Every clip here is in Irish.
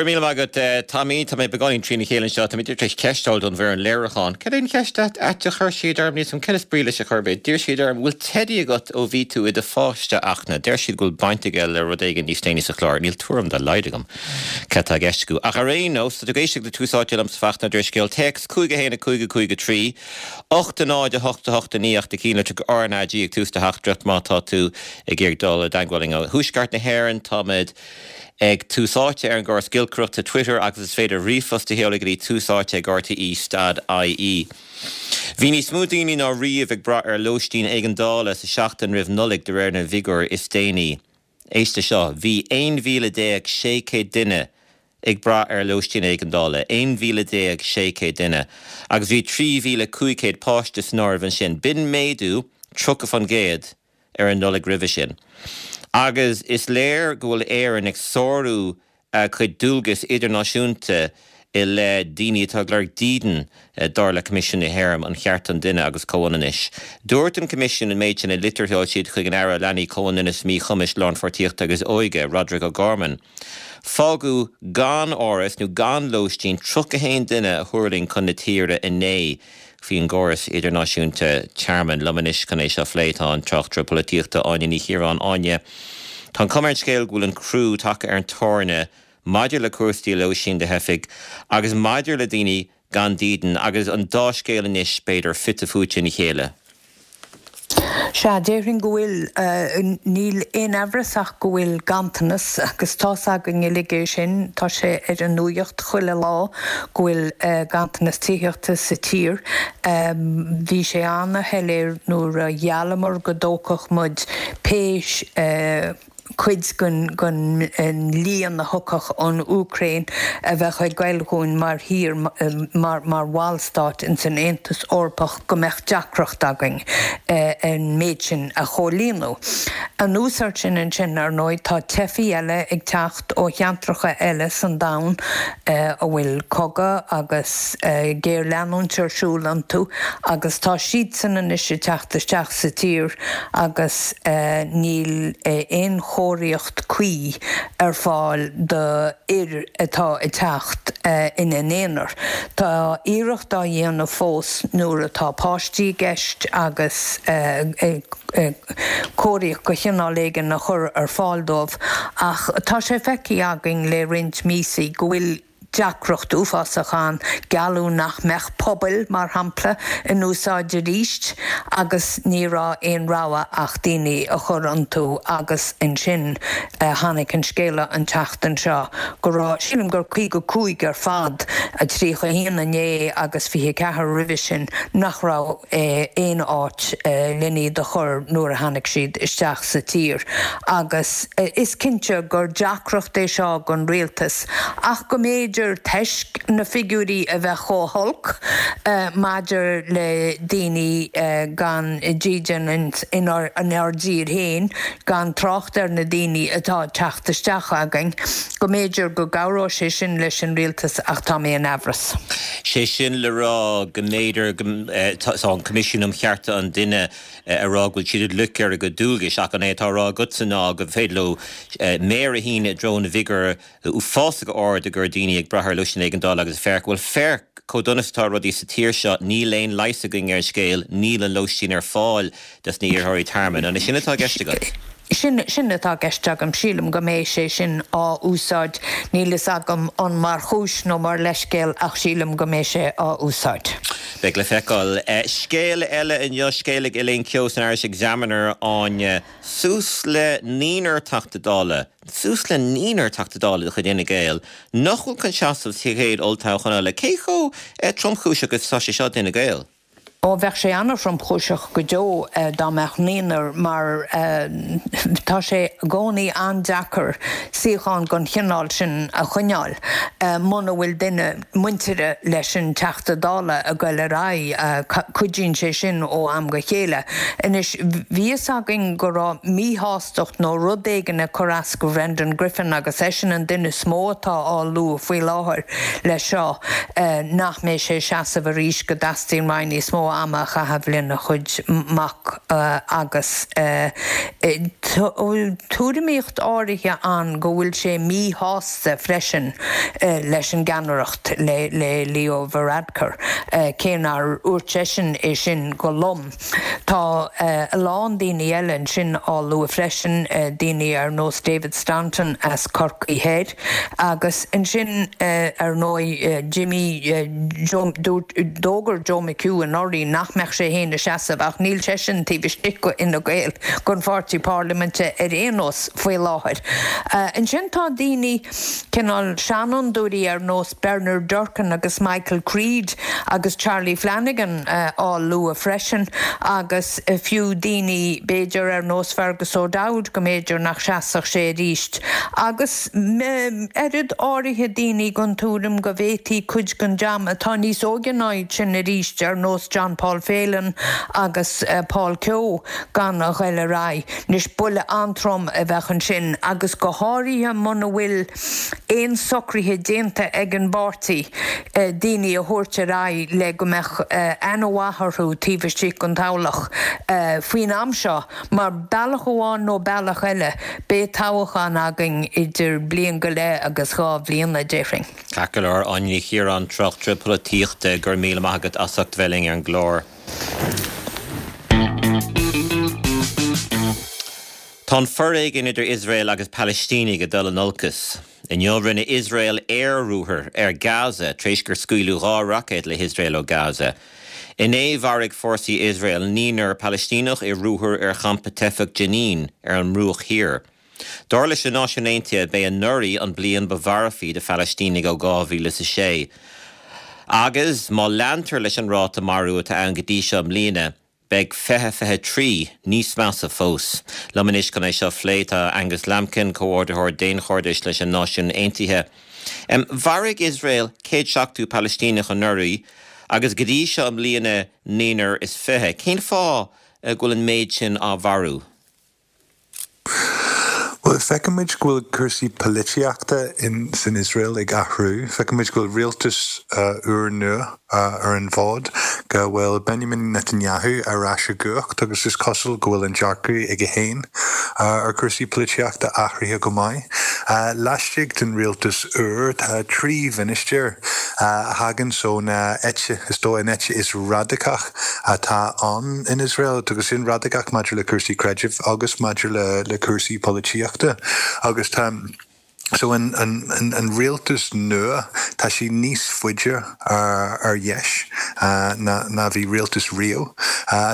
Go raibh míle maith agat, Tommy. Tá mé beagáinín trína chéile anseo. Tá mé tar éis ceist a fháil ón bhfoireann léiriúcháin. Cad é an cheist ait a chuir siad orm? Níl 's agam cad is brí leis a chor ar bith. D'iarr siad orm, bhfuil teidí agat ó bhí tú i do pháiste, a Fhachtna? Deir siad go bhfuil baint aige le rud éigin níos déanaí sa chlár. Níl tuairim dá laghad agam cad tá i gceist acu. Ach ar aon nós, tá tú ag éisteacht le Tús Áite liomsa Fachtna Ó Drisceoil. Téacs 5 1 5 5 3 8 0 8 8 9 ach do cheannlitreacha RnaG ag tús do theachtaireacht má tá tú ag iarraidh dul i dteagmháil linn ó Thuaisceart na hÉireann. Táimid ag Tús Áite ar an gcóras giolcaireachta Twitter agus is féidir ríomhphost a sheoladh go dtí túsáite ag rte stad ie. Bhí níos mó daoine ná riamh ag brath ar lóistín éigeandála sa seachtain roimh Nollaig de réir na bhfigiúr is déanaí. Éist le seo, bhí 11,600 duine ag brath ar lóistín éigeandála, 11,600 duine, agus bhí 3,500 páiste san áireamh ansin. B'in méadú 30%. ar an Nollaig roimhe sin. Agus is léir go bhfuil Éirinn ag sárú a cuid dualgas idirnáisiúnta i leith daoine atá ag lorg dídean, dar le Coimisiún na hÉireann um Chearta an Duine agus Comhionannais. Dúirt an Coimisiún an méid sin i litir a sheol siad chuig an Aire Leanaí, Comhionannais, Míchumais, Lánpháirtíochta agus Óige, Roderic O'Gorman. Fágadh gan áras nó gan lóistín 31 duine a thuirling chun na tíre inné. faoin gcóras idirnáisiúnta tearmainn. Liom anois chun é seo a phlé tá an tráchtaire polaitíochta Áine Ní Chiaráin. Áine, tá an chuma ar an scéal go bhfuil an crú tagtha ar an tairne maidir le cúrsaí lóistín do theifigh agus maidir le daoine gan dídean agus an dá scéal anois, b'fhéidir, fite fuaite ina chéile. Sea, déarfainn go bhfuil. Níl aon amhras ach go bhfuil ganntanas, agus tá's againn uilig é sin, tá sé ar an nuaíocht chuile lá go bhfuil ganntanas tithíochta sa tír. Bhí sé ana-shoiléir nuair a gheallamar go dtógfadh muid pé cuid den líon a thiocfadh ón Úcráin a bheadh ag goil dhúinn mar thír, mar bhallstát ins an Aontas Eorpach, go mbeadh deacracht againn an méid sin a chomhlíonadh. Anuas air sin ansin, ar ndóigh, tá teifigh eile ag teacht ó cheantracha eile san domhan a bhfuil cogadh agus géarleanúint ar siúl iontu agus tá siadsan anois ag teacht isteach sa tír agus níl aon chóiríocht cuí ar fáil do fhir atá ag teacht ina n-aonar. Tá iarracht á dhéanamh fós nuair atá páistí i gceist agus cóiríocht de chineál éigin a chur ar fáil dóibh ach tá sé feicthe againn le roinnt míosaí go bhfuil deacracht uafásach ann. Gealladh nach mbeadh pubaill, mar shampla, in úsáid arís agus ní raibh aon rogha ach daoine a chur iontu agus ansin tháinig an scéala an tseachtain seo go raibh, sílim gur 55 ar fad, 31 inné agus 24 roimhe sin, nach raibh aon áit len iad a chur nuair a tháinig siad isteach sa tír agus is cinnte gur deacracht é seo don rialtas. Ach go mb'fhéidir, toisc na figiúirí a bheith chomh holc maidir le daoine gan dídean inár dtír féin, gan trácht ar na daoine atá ag teacht isteach againn, go mb'fhéidir go gcabhróidh sé sin leis an rialtas ach tá mé in amhras. Sé sin le rá go mb'fhéidir go, tá an Coimisiún um Chearta an Duine ag rá go bhfuil siad ag loiceadh ar a gcuid dualgais ach an é atá á rá agatsa ná gur féidir leo méar a shíneadh i dtreo na bhfigiúr uafásach ard go raibh daoine ag brath ar lóistín éigeandála agus féach, bhuel féach chomh dona is atá rudaí sa tír seo, níl aon leigheas againn ar an scéal, níl an lóistín ar fáil dos na iarrthóirí tearmainn. An é sin atá i gceist agat? Sin, sin atá i gceist agam. Sílim go mbeidh sé sin á úsáid. Níl fhios agam an mar chúis nó mar leithscéal ach sílim go mbeidh sé á úsáid. Beidh le feiceáil. Scéal eile inniu, scéal ag Elaine Keogh san Irish Examiner, Áine, suas le naonúr Teachta Dála, suas le naonúr Teachta Dála de chuid Fhine Gael nach bhfuil chun seasamh sa chéad olltoghchán eile. Cé chomh tromchúiseach is atá sé seo d'Fhine Gael? Ó, bheadh sé an-thromchúiseach go deo dá mbeadh naonúr mar tá sé i gcónaí an-deacair suíochán den chineál sin a choinneáil muna bhfuil duine muintire leis an Teachta Dála ag goil ar aghaidh. Cuidíonn sé sin ó am go chéile. Anois, bhí fhios againn go raibh míshástacht nó rud éigin ag cur as go Brendan Griffin agus eisean an duine is mó atá á lua faoi láthair leis seo. nach mbeidh sé ag seasamh arís, go dteastaíonn uaidh níos mó ama a chaitheamh lena chuid mac agus. tuairimíocht áirithe ann go bhfuil sé míshásta freisin leis an gceannaireacht, le Leo Varadkar, cé nár dhúirt seisean é sin go lom. Tá a lán daoine eile ansin á lua freisin, daoine ar nós David Staunton as Corcaigh Thoir agus ansin ar ndóigh Jimmy, dúirt, d'fhógair Joe McHugh anuraidh nach mbeadh sé féin ag seasamh ach níl seisean taobh istigh d'Fhine Gael, den pháirtí parlaiminte ar aon nós faoi láthair. Ansin tá daoine. cineál seanfhondúirí ar nós Bernard Durkan agus Michael Creed agus Charlie Flanagan á lua freisin agus fiú daoine b'fhéidir ar nós Fergus O'Dowd go mb'fhéidir nach seasfadh sé arís. Agus oiread áirithe daoine den tuairim go bhféadfaí cuid den dream atá níos óige ná iad sin arís ar nós John Paul Phelan agus Paul Kehoe gan a ghoil ar aghaidh. Anois, buille an-trom a bheadh ansin agus go háirithe muna bhfuil aon socruithe déanta ag an bpáirtí daoine a thabhairt ar aghaidh le go mbeadh aithne mhaith orthu taobh istigh den toghlach faoin am seo mar bealach amháin nó bealach eile beidh toghchán againn idir bliain go leith agus 2 bhliain, déarfainn. Ceart go leor, Áine Ní Chiaráin, tráchtaire polaitíochta, go raibh míle maith agat as ucht bheith linn ar an gclár. Tá an foréigean idir Iosrael agus Palaistínigh ag dul in olcas. Inniu rinne Iosrael aer-ruathar ar Gaza tar éis gur scaoileadh 2 roicéad le hIosrael ó Gaza. Inné mharaigh fórsaí Iosrael naonúr Palaistíneach i ruathar ar champa teifeach Jenin ar an mBruach Thiar. Dar leis na Náisiúin Aontaithe, b'é anuraidh an bliain ba mharfaí do Phalaistínigh ó 2006. Agus má leantar leis an ráta marú atá ann go dtí seo i mbliana, beidh 2023 níos measa fós. Liom anois chun é seo a phlé tá Angus Lambkin, Comhordaitheoir Daonchairdis leis an Náisiúin Aontaithe. Mharaigh Iosrael 170 Palaistíneach anuraidh agus go dtí seo i mbliana naonúr is 20. Cén fáth go bhfuil an méid sin á mharú? Bhuel, feicimid go bhfuil cúrsaí polaitíochta san Iosrael ag athrú. Feicimid go bhfuil rialtas úr nua ar an bhfód, go bhfuil Benjamin Netanyahu ar ais i gcumhacht agus is cosúil go bhfuil an dearcadh aige féin ar chúrsaí polaitíochta athraithe go maith. Laistigh den rialtas úr tá 3 mhinistéir a thagann ón eite, is dóigh, an eite is radacach atá ann in Iosrael, agus sin radacach maidir le cúrsaí creidimh agus maidir le cúrsaí polaitíochta. Agus tá, so an, an, an rialtas nua, tá sé níos faide ar dheis ná, ná bhí rialtas riamh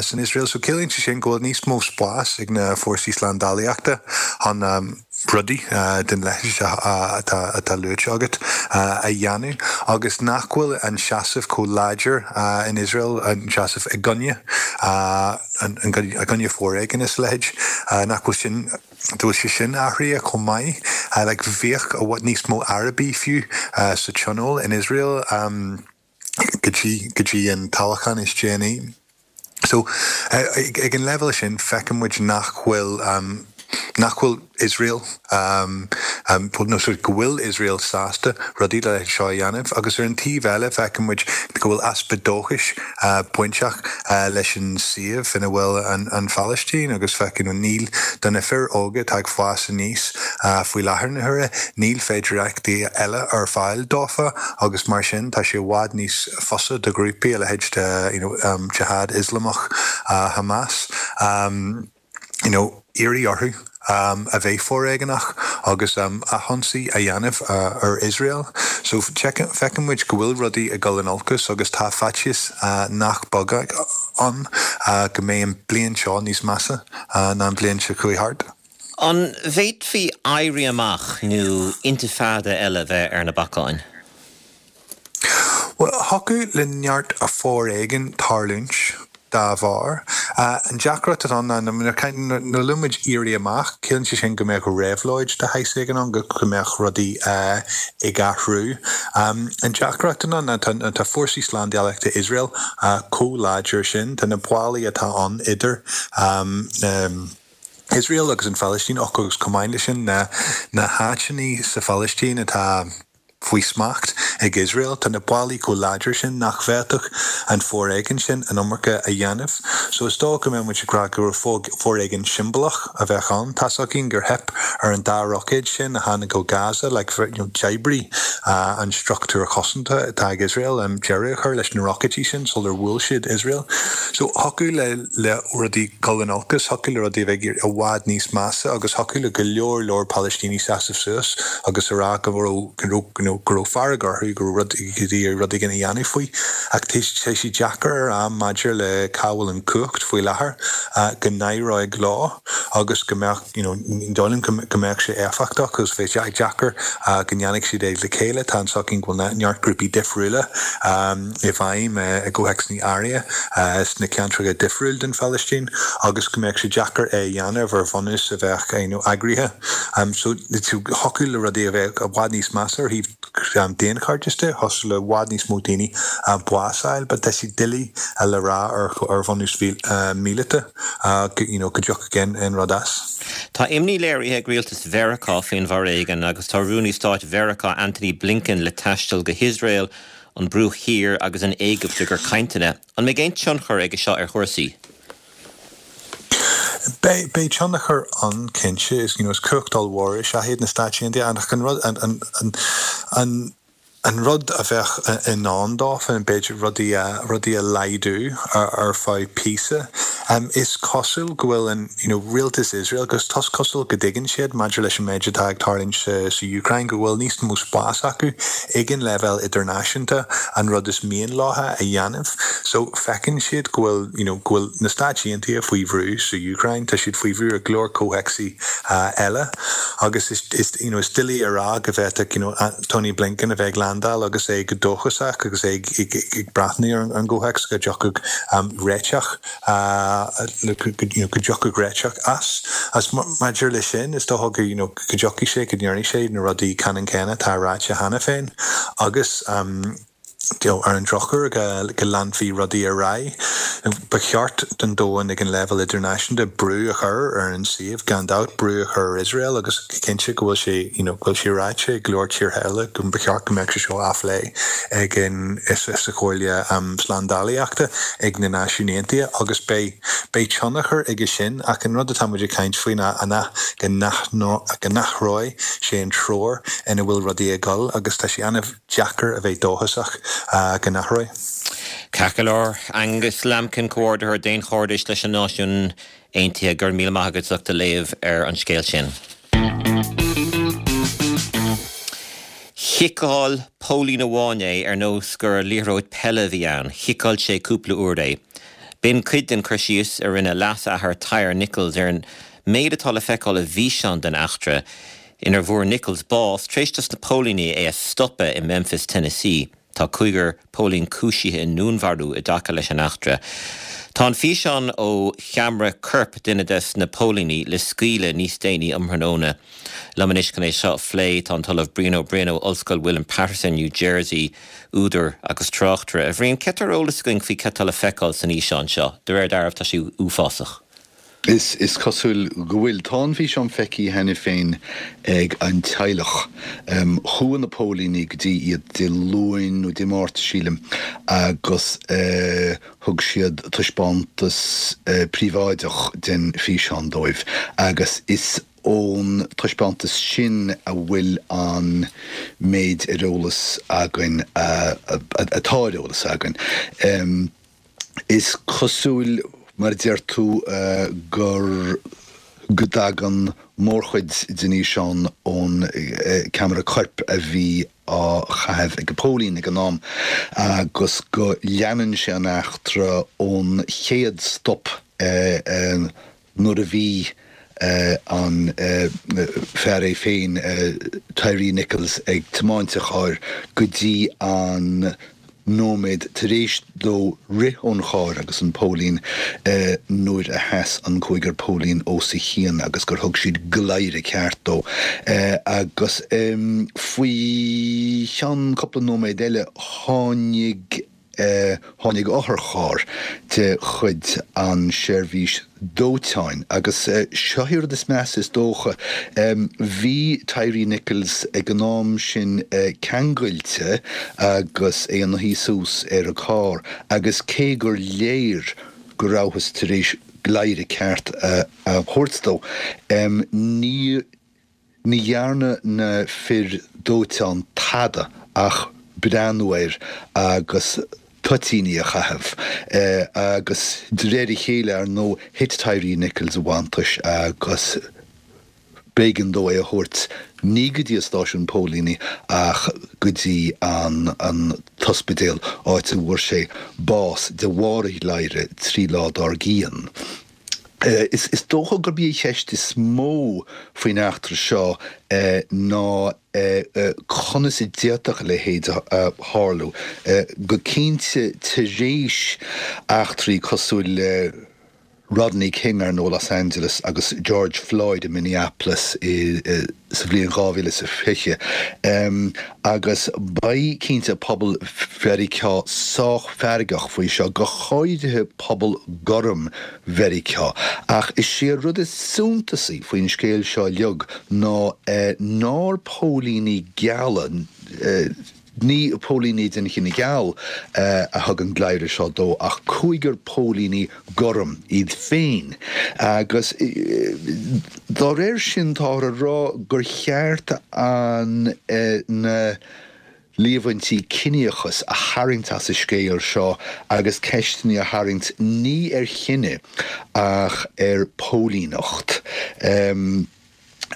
san Iosrael. So ciallaíonn sé sin go bhfuil níos mó spás ag na fórsaí slándálaíochta chun, rudaí den leithéid atá luaite agat a dhéanamh agus nach bhfuil an seasamh chomh láidir in Iosrael, an seasamh i gcoinne, i gcoinne foréigin is a leithéid, nach bhfuil sin, go bhfuil sé sin athraithe chomh maith. Like bhíodh i bhfad níos mó Arabaigh fiú sa tionól in Iosrael go dtí, go dtí an toghchán is déanaí. So, ag an leibhéal sin, feiceann muid nach bhfuil, nach bhfuil Iosrael, nó sorry, go bhfuil Iosrael sásta rudaí dá leithéid seo a dhéanamh. Agus ar an taobh eile, feiceann muid go bhfuil easpa dóchais bainteach leis an suíomh ina bhfuil an Phalaistín agus feiceann, níl, do na fir óga atá ag fás aníos faoi láthair na huaire, níl féidireachtaí eile ar fáil dófa agus mar sin tá sé i bhfad níos fusa do ghrúpaí a leithéid de you know Jihad Ioslamach, Hamas, you know iarraidh orthu a bheith foréigeanach agus athionsaí a dhéanamh ar Iosrael. So feiceann muid go bhfuil rudaí ag dul in olcas agus tá faitíos nach beag ann go mbeidh an bliain seo níos measa ná an bhliain seo chuaigh thart. An bhféadfaí éirí amach nó intifada eile bheith ar na bacáin? Bhuel, thiocfadh le neart foréigin tarlúint dá bharr. An deacracht atá ann ná nuair a luann muid éirí amach, ciallaíonn sé sin go mbeadh réabhlóid de shaghas éigin ann, go mbeadh rudaí ag athrú. An deacracht atá ann ná tá fórsaí slándálaíochta Iosrael chomh láidir sin, tá na ballaí atá ann idir Iosrael agus an Phalaistín, agus chomh maith leis sin na háiteanna sa Phalaistín atá. faoi smacht ag Iosrael. Tá na ballaí chomh láidir sin nach bhféadfadh an foréigean sin an iomarca a dhéanamh. So is dóigh go mbeadh muid ag rá go raibh foréigean siombalach a bheadh ann. Tá's againn gur theip ar an dá roicéad sin a tháinig ó Gaza, like, you know, d'oibrigh an struchtúr cosanta atá ag Iosrael deireadh a chur leis na roicéidí sin sular bhuail siad Iosrael. So thiocfadh le le rudaí dul in olcas, thiocfadh le rudaí a bheith i bhfad níos measa agus thiocfadh le go leor leor Palaistínigh seasamh suas agus a rá go raibh go raibh you know go raibh fearg orthu, go raibh rud iad rud éigin a dhéanamh faoi. Ach tá sé deacair a rá maidir le cá bhfuil an chumhacht faoi láthair go n-éireoidh leo agus go mbeadh you know ní dóigh liom go mbeadh sé éifeachtach agus bheadh sé deacair go ndéanfadh siad é le chéile. Tá a fhios againn go bhfuil neart grúpaí difriúla i bhfeidhm i gcomhthéacsanna áirithe sna ceantracha difriúil den Phalaistín agus go mbeadh sé deacair é a dhéanamh ar bhunús a bheadh you know eagraithe. So thiocfadh le rudaí a bheith i bhfad níos measa ar thaobh daonchairdis de, thiocfadh le i bhfad níos mó daoine bás a fháil but tá sé doiligh le rá ar bhunús míleata you know go dtiocfadh aon rud as. Tá imní léirithe ag rialtas Mheiriceá faoin bhforéigean agus tá Rúnaí Stáit Mheiriceá Antony Blinken le taisteal go hIosrael, an Bruach Thiar agus an Éigipt i gcomhair cainteanna. An mbeidh aon tionchar aige seo ar chúrsaí? Beidh, beidh tionchar ann cinnte. Is, you know, is cumhacht ollmhór is ea iad na Stáit Aontaithe ach an rud, an, an, an, an, an rud a bheadh i ndán dófa, b'fhéidir rudaí a, rudaí a laghdú ar, ar feadh píosa. Is cosúil go bhfuil an, you know, rialtas Iosrael, agus tá cosúil go dtuigeann siad maidir leis an méid atá ag tarlúint sa, sa Úcráin, go bhfuil níos mó spás acu ag an leibhéal idirnáisiúnta an rud is mian leo a dhéanamh. So, feiceann siad go bhfuil, you know, go bhfuil na Stáit Aontaithe faoi bhrú sa Úcráin, tá siad faoi bhrú i go leor comhthéacsaí eile agus is, is, you know, is doiligh a rá go bhféadfadh, you know, Tony Blinken a bheith ag landáil agus é go dóchasach agus é ag, ag, ag breathnú ar an gcomhthéacs go dtiocfadh réiteach, you know, go dtiocfadh réiteach as. As maidir leis sin, is dócha go, you know, go dtiocfaidh sé, go ndéarfaidh sé na rudaí ceannann céanna atá ráite cheana féin agus, you know, ar an drochuair go leanfaí rudaí ar aghaidh. Ba cheart don domhan ag an leibhéal idirnáisiúnta brú a chur ar an suíomh, gan dabht, brú a chur ar Iosrael agus cinnte go bhfuil sé, you know, go bhfuil sé ráite ag go leor tíortha eile go mba cheart go mbeadh sé seo á phlé ag an, sa Chomhairle Slándálaíochta ag na Náisiúin Aontaithe agus beidh, beidh tionchar aige sin ach an rud atá muid ag caint faoi ná an go n-athróidh sé an treoir ina bhfuil rudaí ag dul agus tá sé ana deacair a bheith dóchasach go n-athróidh. Ceart go leor, Angus Lambkin, Comhordaitheoir Daonchairdis leis na Náisiúin Aontaithe, go raibh míle maith agat as ucht do léamh ar an scéal sin. Chiceáil póilín amháin é ar nós gur liathróid peile a bhí ann. Chiceáil sé cúpla uair é. B'in cuid den chur síos a rinne leas-athair Tyre Nichols ar an méid atá le feiceáil i bhfíseán den eachtra inar bhfuair Nichols bás tar éis dos na póilíní é a stopadh i Memphis, Tennessee. Tá cúigear póilín cúisithe i ndúnmharú i dtaca leis an eachtra. Tá an físeán ó cheamara coirp duine des na póilíní le scaoileadh níos déanaí um thráthnóna. Liom anois chun é seo a phlé tá an tOllamh Brian Ó Broin ó Ollscoil William Paterson, New Jersey, údar agus tráchtaire. A Bhriain, cé tá ar eolas againn faoi cé tá le feiceáil san fhíseán seo? De réir dealraimh tá sé uafásach. Is cosúil go bhfuil. Tá an físeán feicthe cheana féin ag an teaghlach. Chuaigh na póilíní go dtí iad Dé Luain nó Dé Máirt, sílim, agus thug siad taispeántas príobháideach den fhíseán dóibh agus is ón taispeántas sin a bhfuil an méid ar eolas againn atá ar eolas againn. Is cosúil, mar a deir tú, gur go dtagann mórchuid den fhíseán ón ceamara coirp a bhí á chaitheamh ag an póilín ag an am agus go leanann sé an eachtra ón chéad stop nuair a bhí an fear é féin, Tyre Nichols, ag tiomáint a chairr go dtí an nóiméad tar éis dó rith ón charr agus an póilín nuair a sheas an cúigear póilín os a chionn agus gur thug siad gladhaire ceart dó. Agus faoi cheann cúpla nóiméad eile tháinig. tháinig otharcharr de chuid an seirbhís dóiteáin agus seo é rud is measa is dócha, bhí Tyre Nichols ag an am sin ceangailte agus é ina shuí suas ar an carr agus cé gur léir go rabhthas tar éis gléire ceart a thabhairt dó, ní Ní dhearna na fir dóiteáin tada ach breathnú air agus toitíní a chaitheamh. Agus de réir a chéile, ar ndóigh, thit Tyre Nichols i bhfanntais agus b'éigean dó é a thabhairt ní go dtí an stáisiún póilíní ach go dtí an t-ospidéal, áit a bhfuair sé bás de bharr an ghléire trí lá dár gcionn. Is dócha gurb í an cheist is mó faoin eachtra seo ná conas a d'fhéadfadh a leithéid a tharlú. Go cinnte tar éis eachtraí cosúil le Rodney King, ar ndóigh, Los Angeles agus George Floyd i Minneapolis sa bhliain 2020. Agus beidh, cinnte, pobal Mheiriceá sách feargach faoi seo, go háirithe pobal gorm Mheiriceá. Ach is é an rud is suntasaí faoin scéal seo uilig ná nár póilíní geala, Ní póilíní den chine geal a thug an gléire seo dó ach cúigear póilíní gorm iad féin. Agus dá réir sin táthar ag rá gur cheart an na líomhaintí ciníochais a tharraingt as an scéal seo agus ceisteanna a tharraingt ní ar chine ach ar phóilíneacht.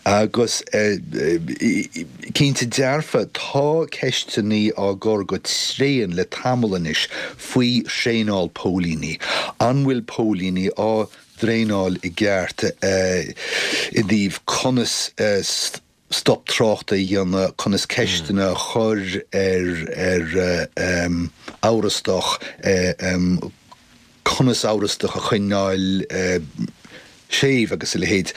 Agus cinnte dearfa, tá ceisteanna á gcur go tréan le tamall anois faoi thraenáil póilíní. An bhfuil póilíní á dtraenáil i gceart i dtaobh conas stop tráchta a dhéanamh, conas ceisteanna a chur ar amhrastach, conas amhrastach a choinneáil séimh agus a leithéid.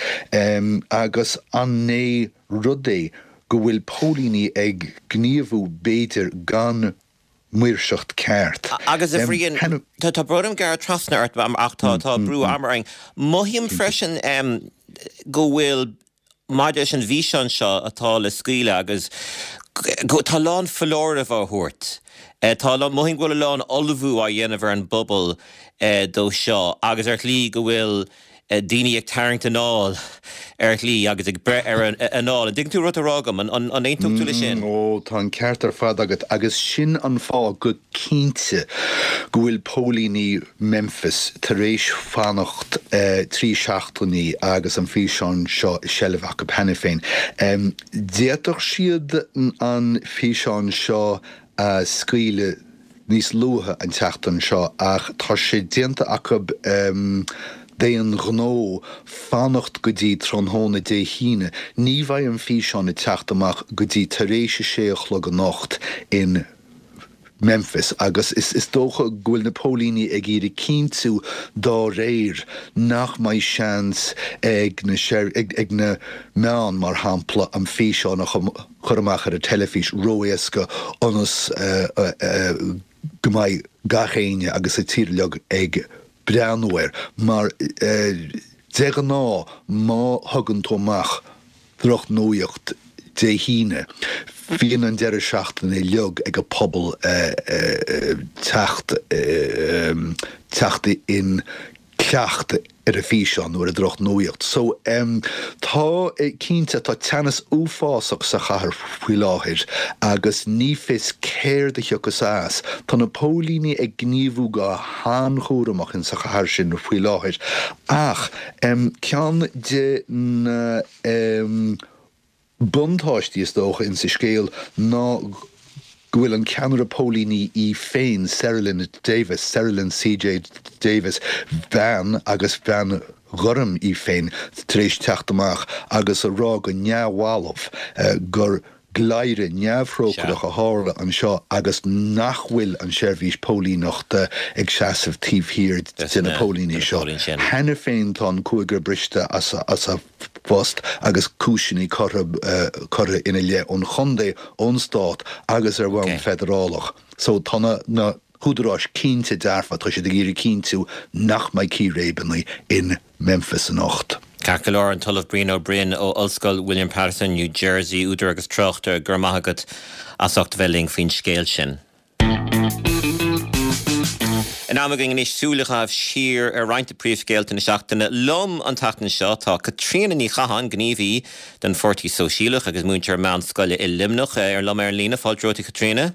Agus an é rud é go bhfuil póilíní ag gníomhú b'fhéidir gan maoirseacht ceart? Agus a Bhriain, tá brón orm gearradh trasna ort ach tá brú ama orainn. Mothaím freisin go bhfuil maidir leis an bhfíseán seo atá le scaoileadh agus tá a lán foláireamh á thabhairt. Tá a lán, mothaím go bhfuil a lán ullmhú á dhéanamh ar an bpobal dó seo agus ar shlí go bhfuil daoine ag tarraingt anáil ar shlí agus ag breith ar a anáil. An dtuigeann tú rud atá á rá agam? An aontódh tú leis sin? Ó, tá an ceart ar fad agat agus sin an fáth go cinnte go bhfuil póilíní Memphis tar éis fanacht 3 seachtainí agus an físeán seo i seilbh acu cheana féin. D'fhéadfadh siad an físeán seo a scaoileadh níos luaithe an tseachtain seo ach tá sé déanta acu d'aon ghnó fanacht go dtí tráthnóna Dé hAoine. Ní bheidh an físeán ag teacht amach go dtí tar éis a sé a chlog anocht in Memphis agus is dócha go bhfuil na póilíní ag iarraidh cinntiú dá réir nach mbeidh seans ag na ag na meáin, mar shampla, an físeán a chur amach ar an teilifís ró-éasca ionas go mbeidh gach éinne agus an tír uilig ag breathnú air mar de ghnáth má thugann tú amach drochnuaíocht Dé hAoine. Bíonn an deireadh seachtaine uilig ag an pobal teacht teacht in cleacht ar an físeán nó ar an drochnuaíocht. So tá cinnte tá teannas uafásach sa chathair faoi láthair agus ní fios céard a thiocfas as. Tá na póilíní ag gníomhú go han-chúramach in sa chathair sin faoi láthair ach ceann de na buntáistí is dócha insa scéal ná go bhfuil an ceannaire póilíní í féin, Cerelyn Davis, Cerelyn CJ Davis, bean agus bean ghorm í féin, tar éis teacht amach agus a rá go neamhbhalbh gur gléire neamhthrócaireach a tharla anseo agus nach bhfuil an tseirbhís póilíneachta ag seasamh taobh thiar de na póilíní seo. Cheana féin tá an cúigear briste as a bpost agus cúiseanna curtha curtha ina leith ón chontae, ón stát agus ar bhonn feidearálach. So tá na. húdaráis cinnte dearfa, tá siad ag iarraidh cinntiú nach mbeidh círéibeanna in Memphis anocht. Ceart go leor, an tOllamh Brian Ó Broin ó Ollscoil William Paterson, New Jersey, údar agus tráchtaire, go raibh maith agat as ucht a bheith linn faoin scéal sin. In am againn anois súil a chaitheamh siar ar roinnt de príomhscéalta na seachtaine. Liom an tseachtain seo tá Caitríona Ní Chatháin, gníomhaí don Pháirtí Sóisialach agus múinteoir meánscoile i Luimneach, ar liom ar an líne. Fáilte romhat a Chaitríona.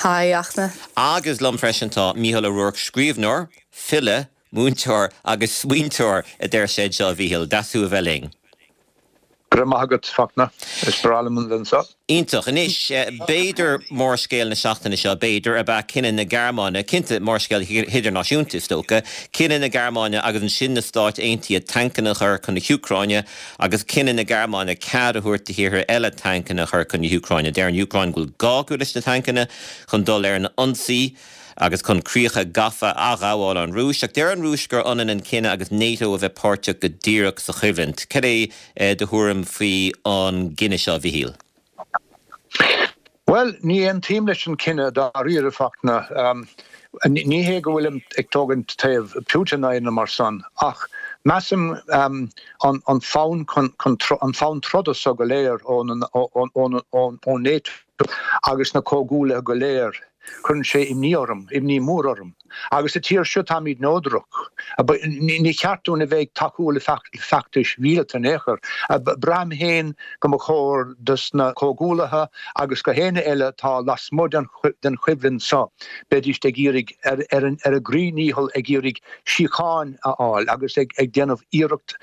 Hi, Fhachtna. Agus liom freisin tá Mícheál Ó Ruairc, scríbhneoir, file, múinteoir agus smaointeoir a deir sé anseo, a Mhíchíl. Deas thú a bheith linn. Go raibh maith agat, Fachtna. Is breá liom a bheith anseo. Iontach. Anois, b'fhéidir mórscéal na seachtaine seo, b'fhéidir, ab ea cinneadh na Gearmáine, cinnte, mórscéal hidirnáisiúnta, is dócha, cinneadh na Gearmáine agus ansin na Stáit Aontaithe tancanna a chur chun na hÚcráine agus cinneadh na Gearmáine cead a thabhairt do thíortha eile tancanna a chur chun na hÚcráine. Deir an Úcráin go bhfuil gá acu leis na tancanna chun dul ar an ionsaí agus chun críocha gafa a athghabháil ón Rúis. Ach deir an Rúis gur ionann an cinneadh agus NATO a bheith páirteach go díreach sa choimhlint. Cad é do thuairim faoi an gcinneadh seo, a Mhichíl? Bhuel, ní aontaím leis an cinneadh dáiríre, Fachtna. Ní hé go bhfuilim ag tógaint taobh Putin ná aon mar san, ach measaim an fonn an fonn troda so go léir ó NATO agus na comhghuaillithe go léir. Cuireann sé imní orm, imní mór orm. Agus sa tír seo táimid neodrach. Ní cheart dúinn a bheith ag tacú le feachtais mhíleata in aon chor. Braithim féin go mba chóir dos na comhghuaillithe agus go héinne eile atá lasmuigh den choimhlint seo, beidís ag iarraidh, ar a gcroí ndícheall ag iarraidh síocháin a fháil agus ag déanamh iarracht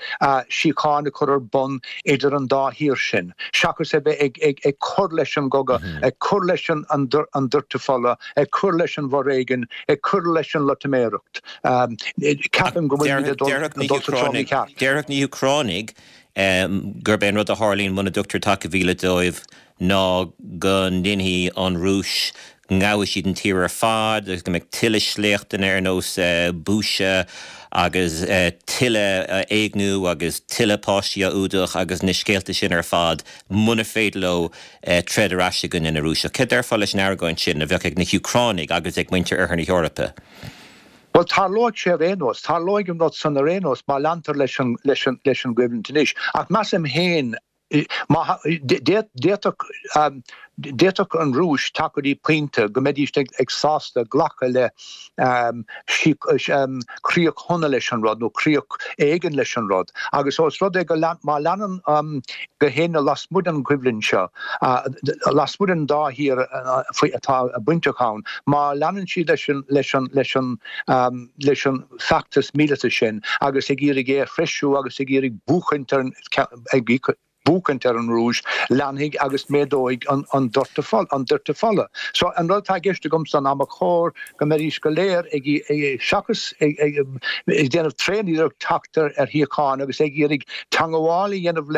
síocháin a chur ar bun idir an dá thír sin, seachas a bheith ag cur leis an gcogadh, ag cur leis an doirteadh fola, ag cur leis an bhforéigean, ag cur leis an loitiméireacht. Ceapaim go bhfuilimid ag dul sa treo mícheart. Déarfadh na hÚcránaigh gurb é an rud a tharlaíonn muna dtugtar taca mhíleata dóibh ná go ndéanfaidh an Rúis, go ngabhfaidh siad an tír ar fad agus go mbeidh tuilleadh sléachtanna ar nós Bucha agus tuilleadh éigniú agus tuilleadh páistí á fhuadach agus na scéalta sin ar fad muna féidir leo troid ar ais i gcoinne na Rúiseach. Céard déarfá leis an argóint sin a bheadh ag na hÚcránaigh agus ag muintir Oirthear na hEorpa? Bhuel, tarlóidh sé ar aon nós. Tarlóidh an rud san ar aon nós má leantar leis an gcoimhlint anois. Ach measaim féin, D'fhéadfadh an Rúis teacht go dtí pointe go mbeidís ag sásta glacadh le críoch shona leis an rud nó críoch éigin leis an rud agus ós rud é go má leanann gach éinne lasmuigh den choimhlint seo, lasmuigh den dá thír atá bainteach ann, má leanann siad leis an leis an feachtas míleata sin agus ag iarraidh é a threisiú agus ag iarraidh buachaint ar an ag buachaint ar an Rúis, leanfaidh agus méadóidh an doirteadh fola. So an rud atá i gceist agamsa ná ba chóir go mbeidís go léir ag, seachas ag déanamh tréaniarracht teacht ar shíocháin agus ag iarraidh teangabháil a dhéanamh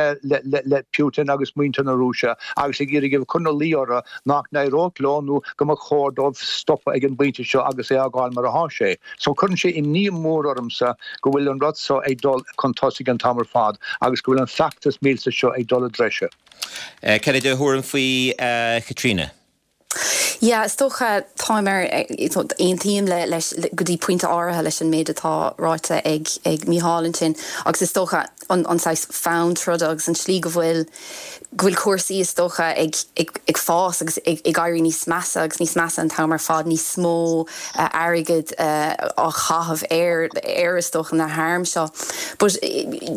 le Putin agus muintir na Rúise agus ag iarraidh a chur ina luí orthu nach n-éireodh leo nó go mba chóir dóibh stopadh ag an bpointe seo agus é a fhágáil mar atá sé. So cuireann sé imní mór ormsa go bhfuil an rud seo ag dul chun tosaigh an t-am ar fad agus go bhfuil an feachtas míleata seo ag dul i dtreise. Cad é do thuairim faoi, a Chaitríona? Yeah, is dócha, táim ar, aontaím le, leis, go dtí pointe áirithe leis an méid atá ráite ag, ag Mícheál ansin agus is dócha an, an saghas fonn troda agus an tslí go bhfuil, go bhfuil cúrsaí, is dócha, ag, ag, ag fás agus ag, ag éirí níos measa agus níos measa an t-am ar fad, níos mó airgid á chaitheamh ar, ar, is dócha, na hairm seo. But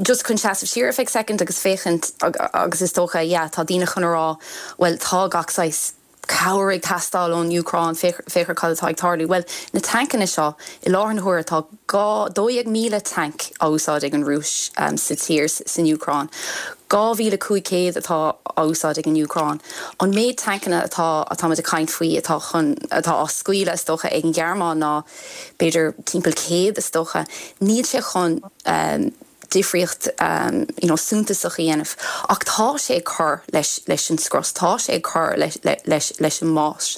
just chun seasamh siar ar feadh soicind agus féachaint agus is dócha, yeah, tá daoine chun a rá, bhuel, tá gach saghas cabhair ag teastáil ón Úcráin, féach ar cad atá ag tarlú. Bhuel, na tancanna seo, i láthair na huaire tá 12,000 tanc á úsáid ag an Rúis sa tír, san Úcráin. 2,500 atá á úsáid ag an Úcráin. An méid tancanna atá, atáimid ag caint faoi, atá chun, atá á scaoileadh, is dócha, ag an Ghearmáin ná b'fhéidir timpeall 100, is dócha. Níl sé chun difríocht you know suntasach a dhéanamh ach tá sé ag cur leis, leis an scros, tá sé ag cur leis, leis, leis an mbás.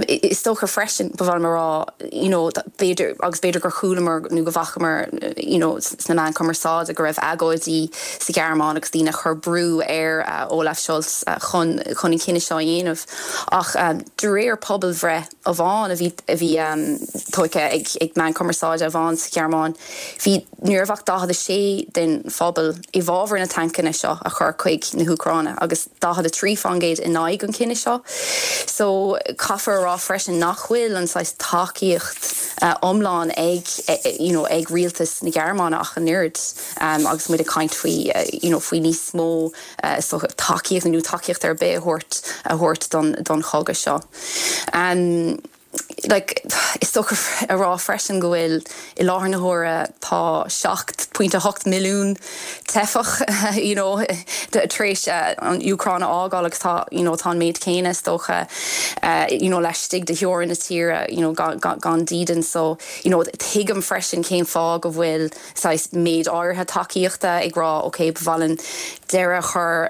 Is dócha freisin, ba mhaith liom a rá, you know, b'fhéidir, agus b'fhéidir gur chualamar nó go bhfacamar, you know, sna meáin cumarsáide go raibh agóidí sa Ghearmáin agus daoine ag cur brú ar Olaf Scholz chun chun an cinneadh seo a dhéanamh. Ach de réir pobalbhreith amháin a bhí a bhí tógtha ag ag meáin cumarsáide amháin sa Ghearmáin, bhí Ní raibh ach 46 den phobal i bhfabhar na tancanna seo a chur chuig na hÚcráine agus 43% in aghaidh an chinnidh seo. So caithfear a rá freisin nach bhfuil an saghas tacaíocht iomlán ag you know ag rialtas na Gearmáine ach an oiread agus muid ag caint faoi you know faoi níos mó tacaíocht nó tacaíocht ar bith a thabhairt a thabhairt don don chogadh seo. Like, is dócha a rá freisin go bhfuil, i láthair na huaire, tá 7.8 milliún teifeach, you know, tar éis an Úcráin a fhágáil agus tá, you know, tá an méid céanna, is dócha, you know, laistigh de theorainn na tíre, you know, gan, gan dídean. So, you know, tuigim freisin cén fáth go bhfuil, saghas méid áirithe tacaíochta ag rá ok ba mhaith linn deireadh a chur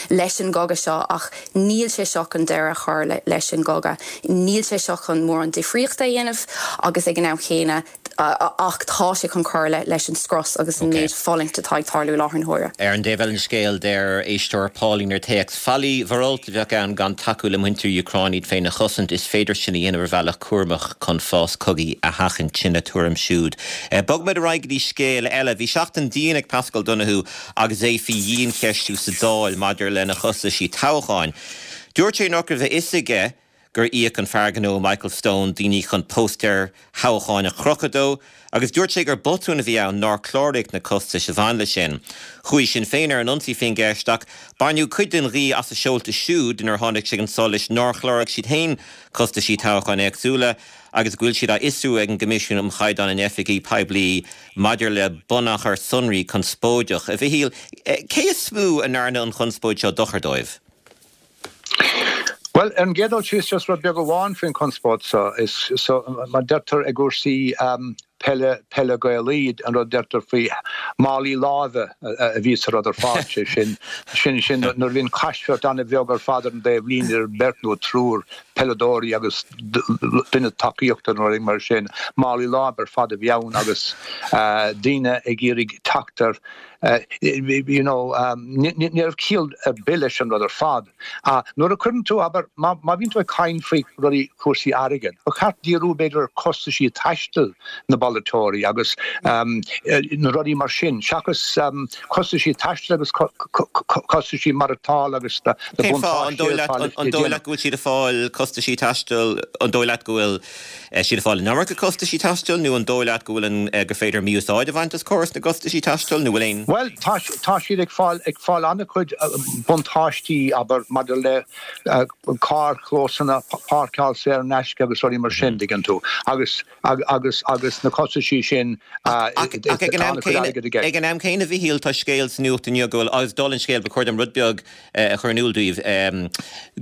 leis an gcogadh seo ach níl sé seo chun deireadh a chur leis an gcogadh, níl sé seo chun mórán difríochta a dhéanamh agus ag an am chéanna ach tá sé chun cur leis an strus agus an méid fulaingt atá ag tarlú i láthair na huaire. Ar an dtaobh eile den scéal, deir éisteoir Pauline ar téacs, Faillí mhorálta a bheadh ann gan tacú le muintir Úcráin iad féin a chosaint. Is féidir sin a dhéanamh ar bhealach cúramach chun fás cogaidh a sheachaint. Sin a tuairim siúd. Bogfaimid ar aghaidh go dtí scéal eile. Bhí seachtain dian ag Paschal Donohoe agus é faoi dhiancheistiú sa Dáil maidir lena chostaisí toghcháin. Dúirt sé nach raibh a fhios aige gur íoc an fear gnó Michael Stone daoine chun póstaeir thoghcháin a chrochadh dó agus dúirt sé gur botún a bhí ann nár cláraíodh na costais a bhain leis sin. Chuaigh Sinn Féin ar an ionsaí faoin gceist ach baineadh cuid den ghaoth as a seolta siúd nuair a tháinig sé chun solais nár chláraigh siad féin costaisí toghcháin éagsúla agus go bhfuil siad á fhiosrú ag an gCoimisiún um Chaighdeán in Oifigí Poiblí maidir le bunachar sonraí conspóideach. A Mhichíl, cé is mó a ndearna an chonspóid seo dochar dóibh? Bhuel, ar an gcéad dul síos, just rud beag amháin faoin chonspóid seo, is so, mar deirtear i gcúrsaí peile, peile Gaelaí, an rud a deirtear faoi málaí láimhe a bhí sa rud ar fad, sé sin, sin, sin nuair a bhíonn caismirt an-bheag ar fad ar an dtaobh líne idir beirt nó triúr peileadóirí agus duine tacaíochta nó rud mar sin, málaí láimhe ar fad a bhí ann agus daoine ag iarraidh teacht ar You know, ní raibh ciall ar bith leis an rud ar fad. Nuair a chuireann tú, abair, má bhíonn tú ag caint faoi rudaí, cúrsaí airgid, ba cheart díriú b'fhéidir ar chostaisí taistil na bpolaiteoirí agus na rudaí mar sin, seachas costaisí taistil agus costaisí maireachtála agus na buntáistí atá leis. An dóigh leat go bhfuil siad ag fáil costaisí taistil, an dóigh leat go bhfuil siad ag fáil an iomarca costaisí taistil nó an dóigh leat go bhfuil an, gur féidir mí-úsáid a bhaint as córas na gcostaisí taistil nó bhfuil aon. Bhuel, tá, tá siad ag fáil, ag fáil an-chuid buntáistí, abair, maidir le carrchlósanna, páirceáil saor in aisce agus rudaí mar sin, tuigeann tú, agus, agus, agus na costaisí sin, Ach ag an am céanna, ag an am céanna, a Mhichíl, tá scéal sa nuacht inniu go bhfuil, agus dála an scéil, ba chóir dom rud beag a chur in iúl daoibh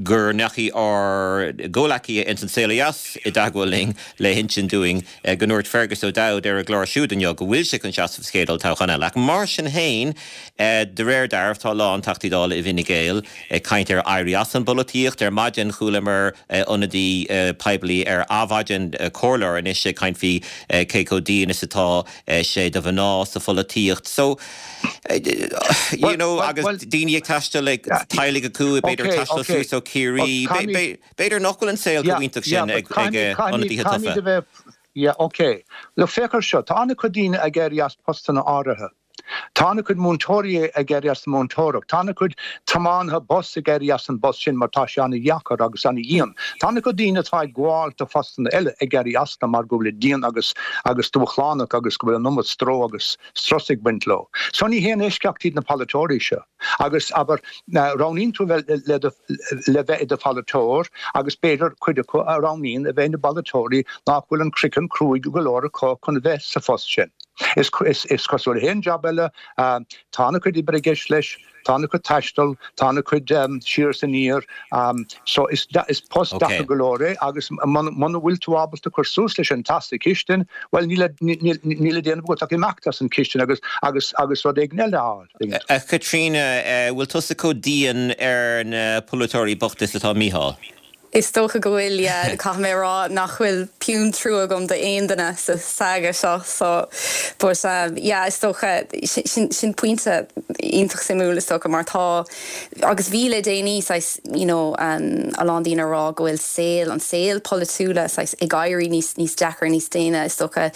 go ndeachaigh ár gcomhleacaithe ins An Saol Ó Dheas i dteagmháil linn le hinsint dúinn go ndúirt Fergus O'Dowd ar a gclár siúd inniu go bhfuil sé chun seasamh sa chéad olltoghchán eile. Ach mar sin féin, de réir dealraimh, tá a lán Teachtaí Dála i bhFine Gael ag caint ar éirí as an bpolaitíocht. Ar maidin chualamar ionadaí poiblí ar Adhmhaidin, comhairleoir anois, ag caint faoi cé chomh dian is atá sé do mhná sa pholaitíocht. So, you know, agus daoine ag taisteal ag teaghlaigh acu, b'fhéidir ag taisteal suas ó Chiarraí, b'fhéidir nach bhfuil an saol chomh iontach sin ag ionadaithe tofa. Yeah, ok. Look, féach ar seo, tá an-chuid daoine ag éirí as postanna áirithe. Tá an-chuid múinteoirí ag éirí as an múinteoireacht. Tá an-chuid tiománaithe bus ag éirí as an bpost sin mar tá sé an-dheacair agus an-dhian. Tá an-chuid daoine atá ag gabháil do phostanna eile ag éirí astu mar go bhfuil dian agus agus dúshlánach agus go bhfuil an iomad stró agus strus ag baint leo. So ní haon eisceacht iad na polaiteoirí seo. Agus, abair, roghnaíonn tú bheith le do le bheith i do pholaiteoir agus b'fhéidir cuid acu a roghnaíonn a bheith ina bpolaiteoirí nach bhfuil an craiceann cruaidh go leor acu chun a bheith sa phost sin. Is is cosúil le haon jab eile, tá an-chuid oibre i gceist leis, tá an-chuid taistil, tá an-chuid siar is aniar, so is is post deacair go leor é agus muna bhfuil tú ábalta cur suas leis an teas sa chistin, bhuel níl níl le déanamh agat ach imeacht as an chistin agus agus agus rud éigin eile a fháil. A Chaitríona, bhfuil tusa chomh dian ar na polaiteoirí bochta is atá Mícheál? Is dócha go bhfuil, yeah. Caithfidh mé a rá nach bhfuil pian trua agam d'aon duine sa saga seo so but yeah is dócha sin sin pointe iontach suimiúil is dócha mar tá agus bhí le déanaí saghas you know a lán daoine a rá go bhfuil saol an saol polaitiúla saghas ag éirí níos níos deacra níos déine is dócha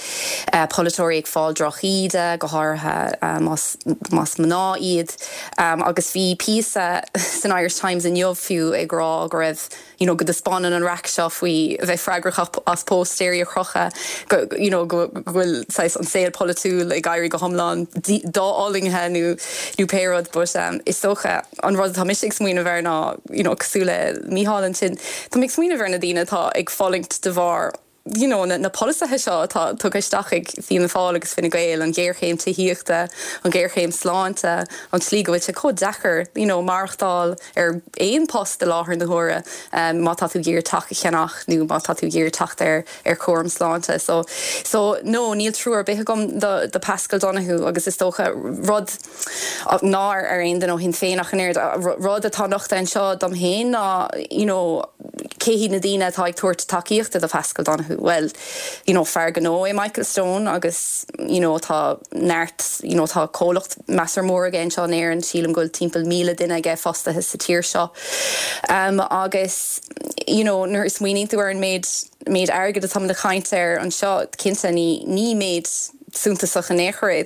polaiteoirí ag fáil drochíde go háirithe más más mná iad. Agus bhí píosa san Irish Times inniu fiú ag rá go raibh, you know, go dtaispeánann an raic seo faoi a bheith freagrach as póstaeirí a chrochadh, go, you know, go bhfuil saghas an saol polaitiúil ag éirí go hiomlán dofhulaingthe nó, nó pé rud. But is dócha an rud atá mise ag smaoineamh air ná, you know, cosúil le Mícheál ansin, tá mé ag smaoineamh ar na daoine atá ag fulaingt de bharr, you know, na polasaithe seo atá tugtha isteach ag Fianna Fáil agus Fine Gael, an ghéarchéim tithíochta, an ghéarchéim sláinte, an tslí go bhfuil sé chomh deacair, you know, maireachtáil ar aon post i láthair na huaire má tá tú ag iarraidh teach a cheannach nó má tá tú ag iarraidh teacht ar ar chúram sláinte. So, so, no, níl trua ar bith agam do do Paschal Donohoe agus is dócha rud ná ar ar aon duine ó Shinn Féin ach an oiread, rud atá nochta anseo dom féin ná, you know, cé hiad na daoine atá ag tabhairt tacaíochta do Paschal Donohoe? Bhuel, you know, fear gnó é Michael Stone agus, you know, tá neart, you know, tá comhlacht measartha mór aige anseo in Éirinn, sílim go bhfuil timpeall 1,000 duine aige fostaithe sa tír seo. Um, agus, you know, nuair a smaoiníonn tú ar an méid, méid airgid atáimid ag caint air anseo, cinnte ní, ní méid suntasach in aon chor é.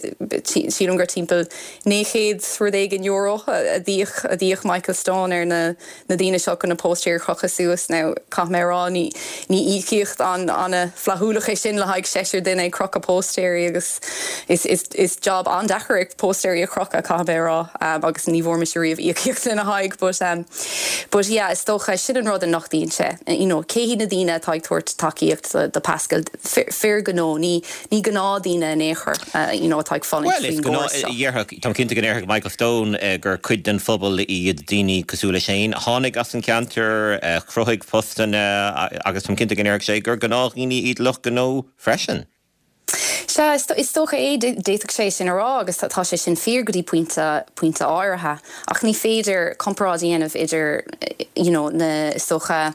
Sílim gur timpeall 900 rud éigin euro a d'íoc, a d'íoc Michael Stone ar na, na daoine seo chun na póstaeir a chrochadh suas. Now, caithfidh mé a rá, ní, ní íocaíocht an, an-fhlaithiúlach é sin le haghaidh seisear duine ag crochadh póstaeirí agus is, is, is job an-deacair é póstaeirí a chrochadh, caithfidh mé a rá, agus ní bhfuair mise riamh íocaíocht lena haghaidh but, um, but yeah, is dócha, sin an rud a nochtaíonn sé, you know, cé hiad na daoine atá ag tabhairt tacaíocht do, do Paschal? Fir gnó, ní, ní gnáthdhaoine in aon chor, you know, atá ag fulaingt Bhuel, is faoin gnáth, gcóras seo. dhéarfadh, táim cinnte go ndéarfadh Michael Stone gur cuid den phobal iad daoine cosúil leis féin, a tháinig as an cheantar, a chruthaigh postanna agus táim cinnte go ndéarfadh sé gur gnáthdhaoine iad lucht gnó freisin. Sea, is dócha é, d'fhéadfadh sé sin a rá agus tá sé sin fíor go dtí pointe, pointe áirithe. Ach ní féidir comparáid a dhéanamh idir you know na, is dócha,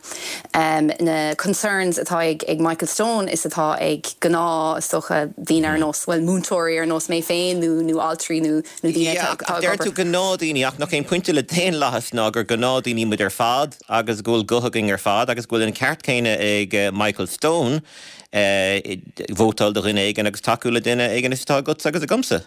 na concerns atá ag ag Michael Stone is atá ag gnáth, is dócha, daoine ar nós, bhuel, múinteoirí ar nós mé féin nó nó altraí nó nó daoine Yeah, atá ach ag deir tú obair. gnáthdhaoine ach nach é an pointe le daonlathas ná gur gnáthdhaoine muid ar fad agus go bhfuil guth againn ar fad agus go bhfuil an ceart céanna ag Michael Stone vótáil do dhuine éigin agus tacú le duine éigin is atá agatsa agus agamsa.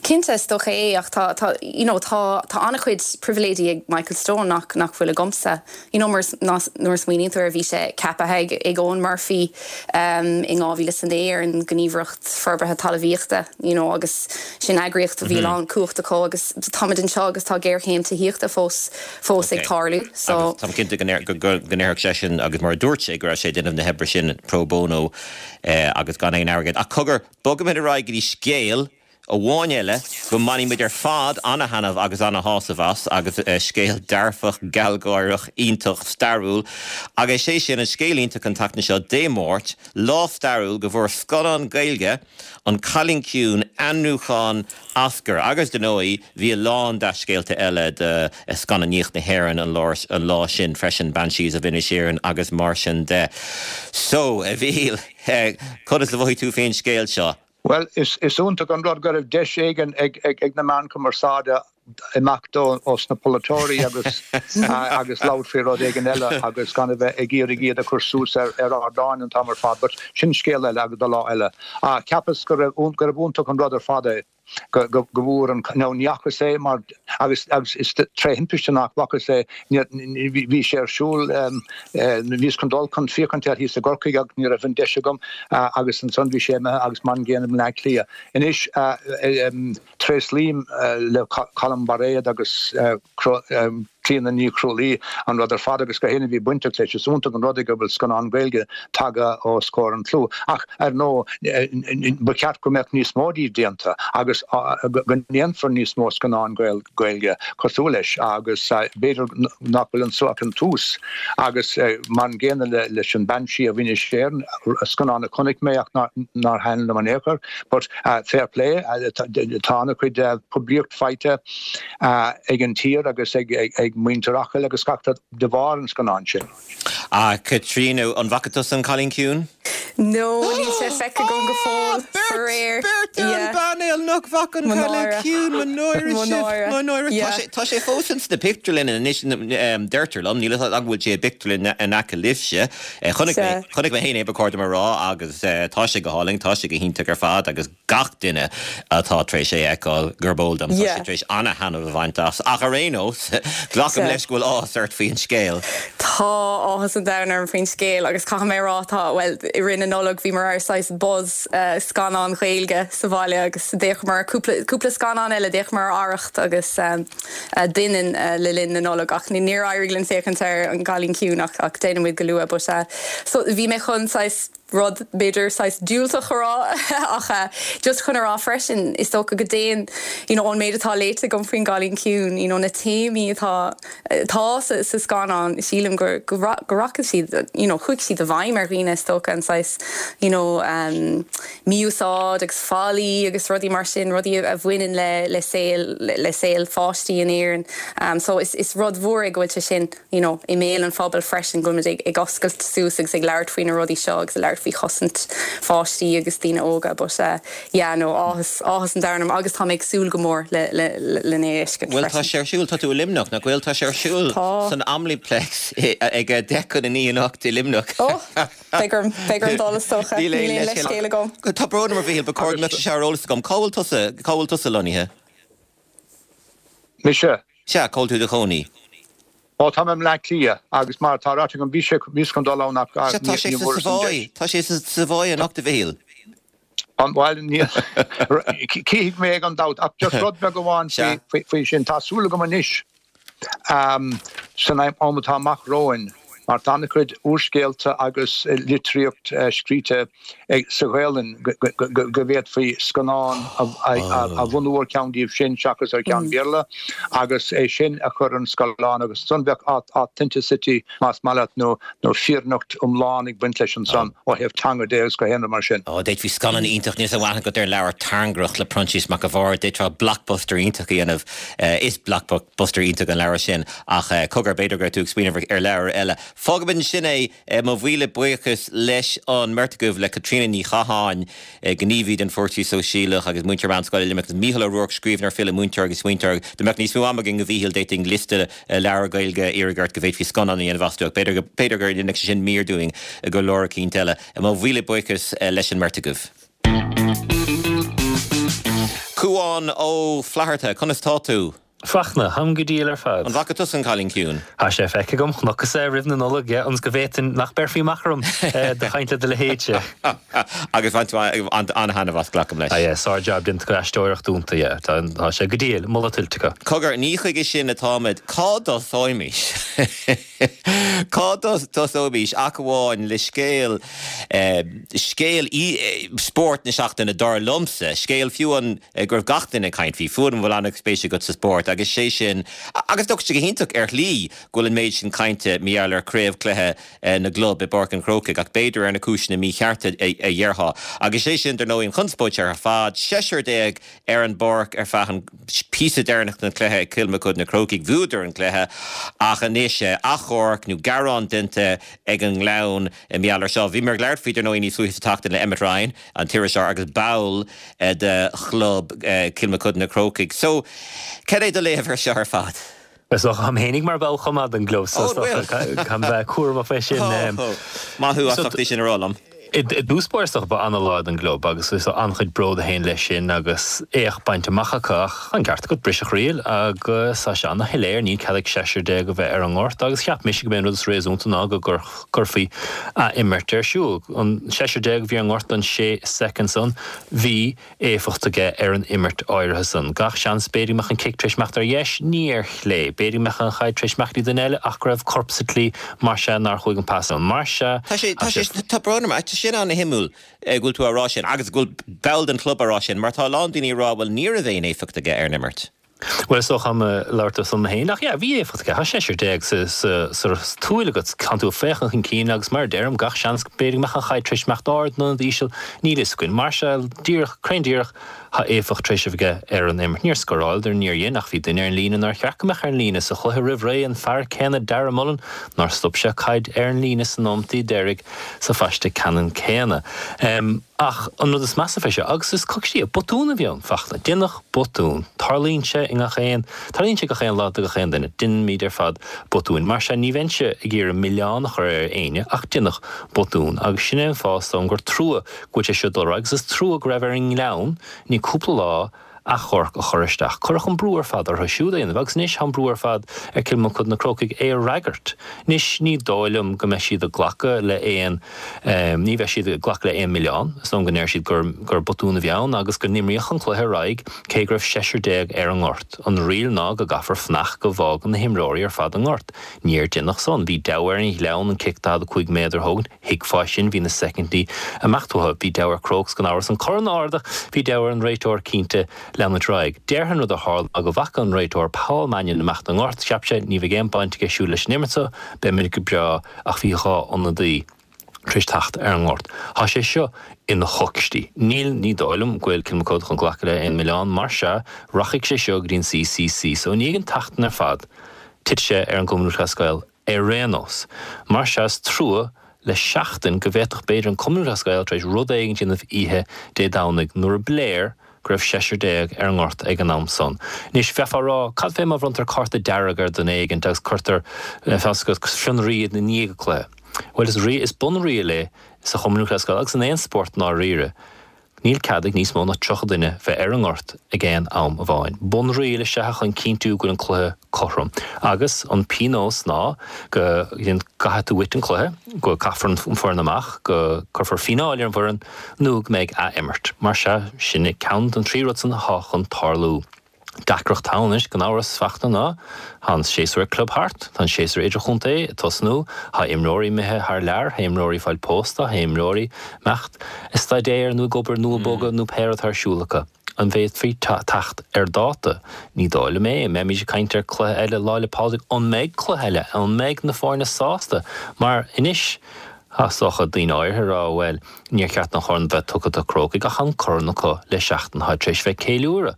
Cinnte, is dócha é, ach tá, tá, you know, tá, tá an-chuid pribhléidí ag Michael Stone nach, nach bhfuil agamsa. You know, mar, nuair a smaoiníonn tú air, bhí sé ceaptha ag, ag Eoghan Murphy um, in 2009 ar an nGníomhaireacht Forbartha Talmhaíochta, you know, agus sin eagraíocht a bhí a lán cumhacht acu agus táimid anseo agus tá géarchéim tithíochta fós, fós ag tarlú. So. Agus táim cinnte go ndéarfadh, go ndéarfadh seisean, agus mar a dúirt sé, go raibh sé ag déanamh na hoibre sin pro bono eh, agus gan aon airgead. Ach cogar, Bogaimid ar aghaidh go dtí scéal amháin eile go mbainfidh muid ar fad ana-thaitneamh agus ana-shásamh as, agus scéal dearfach, gealgháireach, iontach, stairiúil. Agus is é sin an scéal iontach an tseachtain seo, Dé Máirt, lá stairiúil go bhfuair scannán Gaeilge, An Cailín Ciúin, ainmniúchán Oscar. Agus, dar ndóigh, bhí a lán dea-scéalta eile do scannánaíocht na hÉireann an lá sin freisin, Banshees of Inisherin agus mar sin de. So, a Mhíchíl. Conas a mhothaigh tú faoin scéal seo? Bhuel, is iontach an rud go raibh deis éigin ag na meáin chumarsáide imeacht ós na polaiteoirí agus agus labhairt faoi rud éigin eile agus gan a bheith ag iarraidh iad a chur suas ar ardáin an t-am ar fad. But sin scéal eile agus do lá eile. Cheapas go raibh gurbh iontach an rud ar fad é. go bhfuair an, nó ní fhacas é mar, agus agus is tré thimpiste nach bhfacas é, bhí sé ar siúl, bhíos chun dul chun féachaint air thíos i gCorcaigh ach ní raibh an deis agam agus ansan bhí sé imithe agus mar an gcéanna i mBleá Cliath. Anois tréaslaím le Colm Bairéad agus Clíona Ní Chrualaoi an rud ar fad agus gach éinne a bhí bainteach leis. Is iontach an rud é go bhfuil scannán Gaeilge tagtha os comhair an tslua. Ach, ar ndóigh, ba cheart go mbeadh níos mó díobh déanta agus go ndéanfar níos mó scannáin Gaeilge cosúil leis agus b'fhéidir nach bhfuil anso ach an tús. Agus mar an gcéanna leis an Banshee of Inisherin, scannán a chonaic mé ach nár thaitin liom in aon chor. But fair play, tá an-chuid poiblíocht faighte. ag an tír agus ag. ag muintir Acaill agus gach rud de bharr an scannáin sin. A Chaitríona, an bhfaca tusa An Cailín Ciúin? No, níl sé feicthe agam go fóill, faraor. Beirt ar an bpainéal nach bhfaca An Cailín Ciúin, mo náire sibh, mo náire. Tá sé fós ins na pictiúrlanna anois, deirtear liom, níl a fhios agam an bhfuil sé i bpictiúrlann in aice libhse. Chonaic mé, chonaic mé féin é, ba chóir dom a rá, agus tá sé go hálainn, tá sé go hiontach ar fad agus gach duine atá tar éis é a fheiceáil, gurb eol dom, tá siad tar éis ana-thaitneamh a bhaint as. Ach ar aon nós, glacaim leis go bhfuil áthas ort faoin scéal. Tá áthas an domhain orm faoin scéal agus caithfidh mé a rá, tá, bhuel, i rith na Nollag bhíomar ar saghas buzz scannán Ghaeilge sa bhaile agus d'fhéachamar ar cúpla, cúpla scannán eile, d'fhéachamar ar Arracht agus Doineann le linn na Nollag ach níor éirigh linn féachaint ar An Cailín Ciúin ach ach déanfaidh muid go luath but so bhí mé chun saghas rud b'fhéidir saghas diúltach a rá ach just chun a rá freisin is dócha go dtéann you know ón méid atá léite agam faoin gCailín Ciúin you know na téamaí atá atá sa sa scannán sílim go go go rachaidh siad you know chuaigh siad i bhfeidhm ar dhaoine is dócha an saghas you know um mí-úsáid agus faillí agus rudaí mar sin rudaí a bhaineann le le saol le saol pháistí in Éirinn um so is is rud mhór é go bhfuil sé sin you know, i mbéal an phobail freisin, go bhfuil muid ag, ag oscailt suas agus ag labhairt faoi na rudaí seo agus ag labhairt faoi chosaint pháistí agus daoine óga but eh yeah no áthas, áthas an domhain orm agus tá mé ag súil go mór le, le, le é a fheiscint Bhuel tá freisin. sé ar siúl, tá tú i Luimneach, nach bhfuil? Tá sé ar siúl Tá. san Omniplex ag 9:50 anocht i Luimneach. Oh! Beidh orm, beidh orm dul is dócha. Níl aon leithscéal agam. Tá brón orm a Mhichíl, ba chóir go mbeadh sé seo ar eolas agam. Cá bhfuil tusa, cá bhfuil tusa lonnaithe? Mise? Sea, cá bhfuil tú i do chónaí? Ó, tá mé i mBleá Cliath agus mar atá ráite agam, bhí sé, bhíos chun dul ann ach Sea, tá sé ní sa bhfuaireas an Savoy, deis. tá sé sa Savoy anocht, a Mhichíl. An, bhuel, níl, cífidh mé gan dabht, ach just rud beag amháin Sea. faoi, faoi sin, tá súil agam anois, san am atá amach romhainn, mar tá an-chuid úrscéalta agus litríocht scríte sa Ghaelainn go bhféadfaí scannán a bhunú ar cheann díobh sin seachas ar cheann Béarla agus é sin a chur ar an scáileán agus ansan bheadh authenticity más maith leat nó fírinneacht iomlán ag baint leis ansan ó thaobh teanga de agus gach aon rud mar sin. Ó, d'fhéadfaí scannán iontach, níl aon aithne agat ar an leabhar Tairngreacht le Proinsias Mac a' Bhaird, d'fhéadfá blockbuster iontach a dhéanamh, is blockbuster iontach an leabhar sin ach cogar, b'fhéidir go raibh tú ag smaoineamh ar leabhar eile. Fágfaimid ansin é, mo mhíle buíochas leis an mbeirt agaibh, le Caitríona Ní Chatháin, gníomhaí don Pháirtí Sóisialach agus múinteoir meánscoile i Luimneach, agus Mícheál Ó Ruairc, scríbhneoir, file, múinteoir agus smaointeoir. Dá mbeadh níos mó ama againn, a Mhíchíl, d'fhéadfainn liosta leabhar Gaeilge a iarraidh ort go bhféadfaí scannán a dhéanamh astu ach b'fhéidir b'fhéidir go ndéanfadh sé sin mír dúinn go leor eicínt eile. Mo mhíle buíochas leis an mbeirt agaibh. Cúán Ó Flatharta, conas tá tú? Fachtna, Táim go diail ar fad. An bhfaca tusa an Cailín Ciúin? Tá sé feicthe agam, chonacthas é roimh na Nollag, yeah, ionas go bhféadfainn, nach mbéarfaí amach orm do chaint le do leithéidse. Agus bhain tú an-thaitneamh as, glacaim leis. Ah yeah, sár-jab déanta acu, aisteoireacht iontach, yeah, tá sé go diail, moladh tuillte acu. Cogar, ní chuige sin atáimid. Cá dtosóimis? Cá dtosóimis ach amháin le scéal, scéal spóirt na seachtaine, dar liomsa, scéal fiú an go raibh gach duine ag caint faoi, fiú an bhfuil an-spéis agat sa spórt, agus sé sin, agus tá sé go hiontach ar shlí go bhfuil an méid sin cainte mar gheall ar chraobhchluiche na gclub i bPáirc an Chrócaigh, ach b'fhéidir ar na cúiseanna míchearta a dhéarfá. Agus sé sin, dar ndóigh, an chonspóid seo ar fad, seisear ar an bpáirc ar feadh an píosa deireanach den chluiche ag Cill Mochuda Na Crócaigh. Bhuadar an cluiche ach anois achomharc nó gearán déanta ag an nGleann mar gheall ar seo. Bhíomar ag labhairt faoi dar ndóigh níos luaithe sa tseachtain le Emmet Ryan, an t-iriseoir agus ball de chlub Cill Mochuda Na Crócaigh. So, cad é do léamh ar seo ar fad? Is dócha, táim fhéinig mar bhall chomh maith den gclub so is dócha caithfidh mé bheith cúramach fé sin. Maith thú as ucht é sin a rá liom. I dtús báire is dócha ba ana-lá don gclub agus is an-chuid bród a théann leis sin agus éacht bainte amach acu ach tá an ceart agat, briseadh riail agus tá sé ana-shoiléir, níl cead ag seisear a bheith ar an ngort agus cheap mise go b'é an rud is réasúnta ná go gcuirfí ath-imirt ar siúl. An seisear a bhí ar an ngort don sé soicind san, bhí éifeacht aige ar an imirt áirithe san. Gach seans, b'fhéidir go mbeadh an cic tar éis imeacht ar dheis, ní ar chlé. B'fhéidir go mbeadh an chaid tar éis imeacht go dtí duine eile ach go raibh corp sa tslí, mar sea, nár chuaigh an pas ann. Mar sea, Tá sé, tá sé, tá brón orm, tá sin ana-shuimiúil go bhfuil tú á rá sin agus go bhfuil ball den chlub á rá sin mar tá a lán daoine ag rá bhuel ní raibh aon éifeacht aige ar an imirt. Bhuel, is dócha táim ag labhairt ar son mo fhéin, ach yeah, bhí éifeacht aige. Tá seisear sa, sa tsúil agat, tánn tú ag féachaint chun cinn agus mar a deirim, gach seans, b'fhéidir go mbeadh an chaid tar éis imeacht ard nó íseal, níl fhios againn. Mar sea, díreach, cruinn díreach, Tá éifeacht tar éis a bheith aige ar an imirt. Níor scóráileadar, níor dhein, ach bhí duine ar an líne nár cheart go mbeadh ar an líne. Sa chluiche roimh ré, an fear céanna, Darragh Mullen, nár stop sé caid ar an líne sna nóimeataí deiridh sa phaiste ceannann céanna. Ach an rud is measa fé seo, agus is coicstí é, botún a bhí ann, Fachtna. Deineadh botún. Tarlaíonn sé i ngach aon, tarlaíonn sé gach aon lá do gach aon duine. Deinimid ar fad botúin. Mar sea, ní bheinnse ag iarraidh milleán a chur ar éinne, ach deineadh botún. Agus sin é an fáth, is dóigh liom, gur trua go bhfuil sé seo ag dul ar aghaidh agus is trua go raibh ar an nGleann ní cúpla lá achomharc a chur isteach. Cuireadh an brú ar fad orthu siúd é a dhéanamh agus anois tá an brú ar fad ar Cill Mochuda na Crócaigh é a fhreagairt. Anois ní dóigh liom go mbeidh siad ag glacadh le aon, ní bheidh siad ag glacadh le aon milleán. Is dóigh liom go ndeir siad gur gur botún a bhí ann agus go n-imríodh an cluiche ar aghaidh cé go raibh seisear déag ar an ngort. An riail ná go gcaithfear fanacht go bhfágann na himreoirí ar fad an gort. Níor deineadh san. Bhí deabhadh ar an Ghleann an cic 45 méadar a thógaint. Thuigfeá sin, bhí na soicindí ag imeacht uathu. Bhí deabhadh ar Crokes gan amhras an corn a ardach, bhí deabhadh ar an réiteoir cinnte leanúint ar aghaidh. Déarfainn rud a tharla ná go bhfaca an réiteoir Paul Mannion imeacht ón ngort, cheap sé, ní bheidh aon baint aige siúd leis an imirt seo, beimid go breá ach bhí 2 ionadaí tar éis teacht ar an ngort. Tá sé seo ina choicstí. Níl, ní dóigh liom go bhfuil Kilmacud chun glacadh le aon milleán, mar sea, rachaidh sé seo go dtí an CCC. So i ndiaidh an tseachtain ar fad, titfidh sé ar an gCumann Lúthchleas Gael ar aon nós. Mar sea, is trua le seachtain go bhféadfadh b'fhéidir an Cumann Lúthchleas Gael tar éis rud éigin a dhéanamh oíche Dé Domhnaigh nuair a b'léir go raibh seisear déag ar an ngort ag an am san. Anois, bheifeá ag rá, cad fé má bhronntar cárta dearg ar dhuine éigint agus cuirtear, feabhas agat, fionraí i ndiaidh an cluiche? Bhuel, is rí, is bunriail é sa Chumann Lúthchleas Gael agus in aon spórt i ndáiríre. Níl cead ag níos mó ná 30 duine bheith ar an ngort ag aon am amháin. Bunriail is ea chun cinntiú go bhfuil an cluiche cothrom. Agus an pionós ná go gcaithfidh tú uait an cluiche, go gcaithfear an foireann amach, go cuirfear fíneáil ar an bhfoireann nó go mbeidh ath-imirt. Mar sea, sin é ceann den trí rud san atá chun tarlú. Deacracht ann anois, gan amhras, Fachtna, ná tá an séasúr ag club thart, tá an séasúr idirchontae ag tosnú, tá imreoirí imithe thar lear, tá imreoirí ag fáil pósta, tá imreoirí ag imeacht ag staidéar nó ag obair nó ag bogadh nó pé rud atá ar siúl acu. An bhféadfaí teacht ar dáta? Ní dóigh liom é. An mbeimid ag caint ar cluiche eile Lá 'le Pádraig? An mbeidh cluiche eile? An mbeidh na foirne sásta? Mar anois, tá is dócha, daoine áirithe ag rá, bhuel, níor cheart an chorn bheith tugtha do Crócaigh ach an corn acu le seachtain tá tar éis bheith ag ceiliúradh.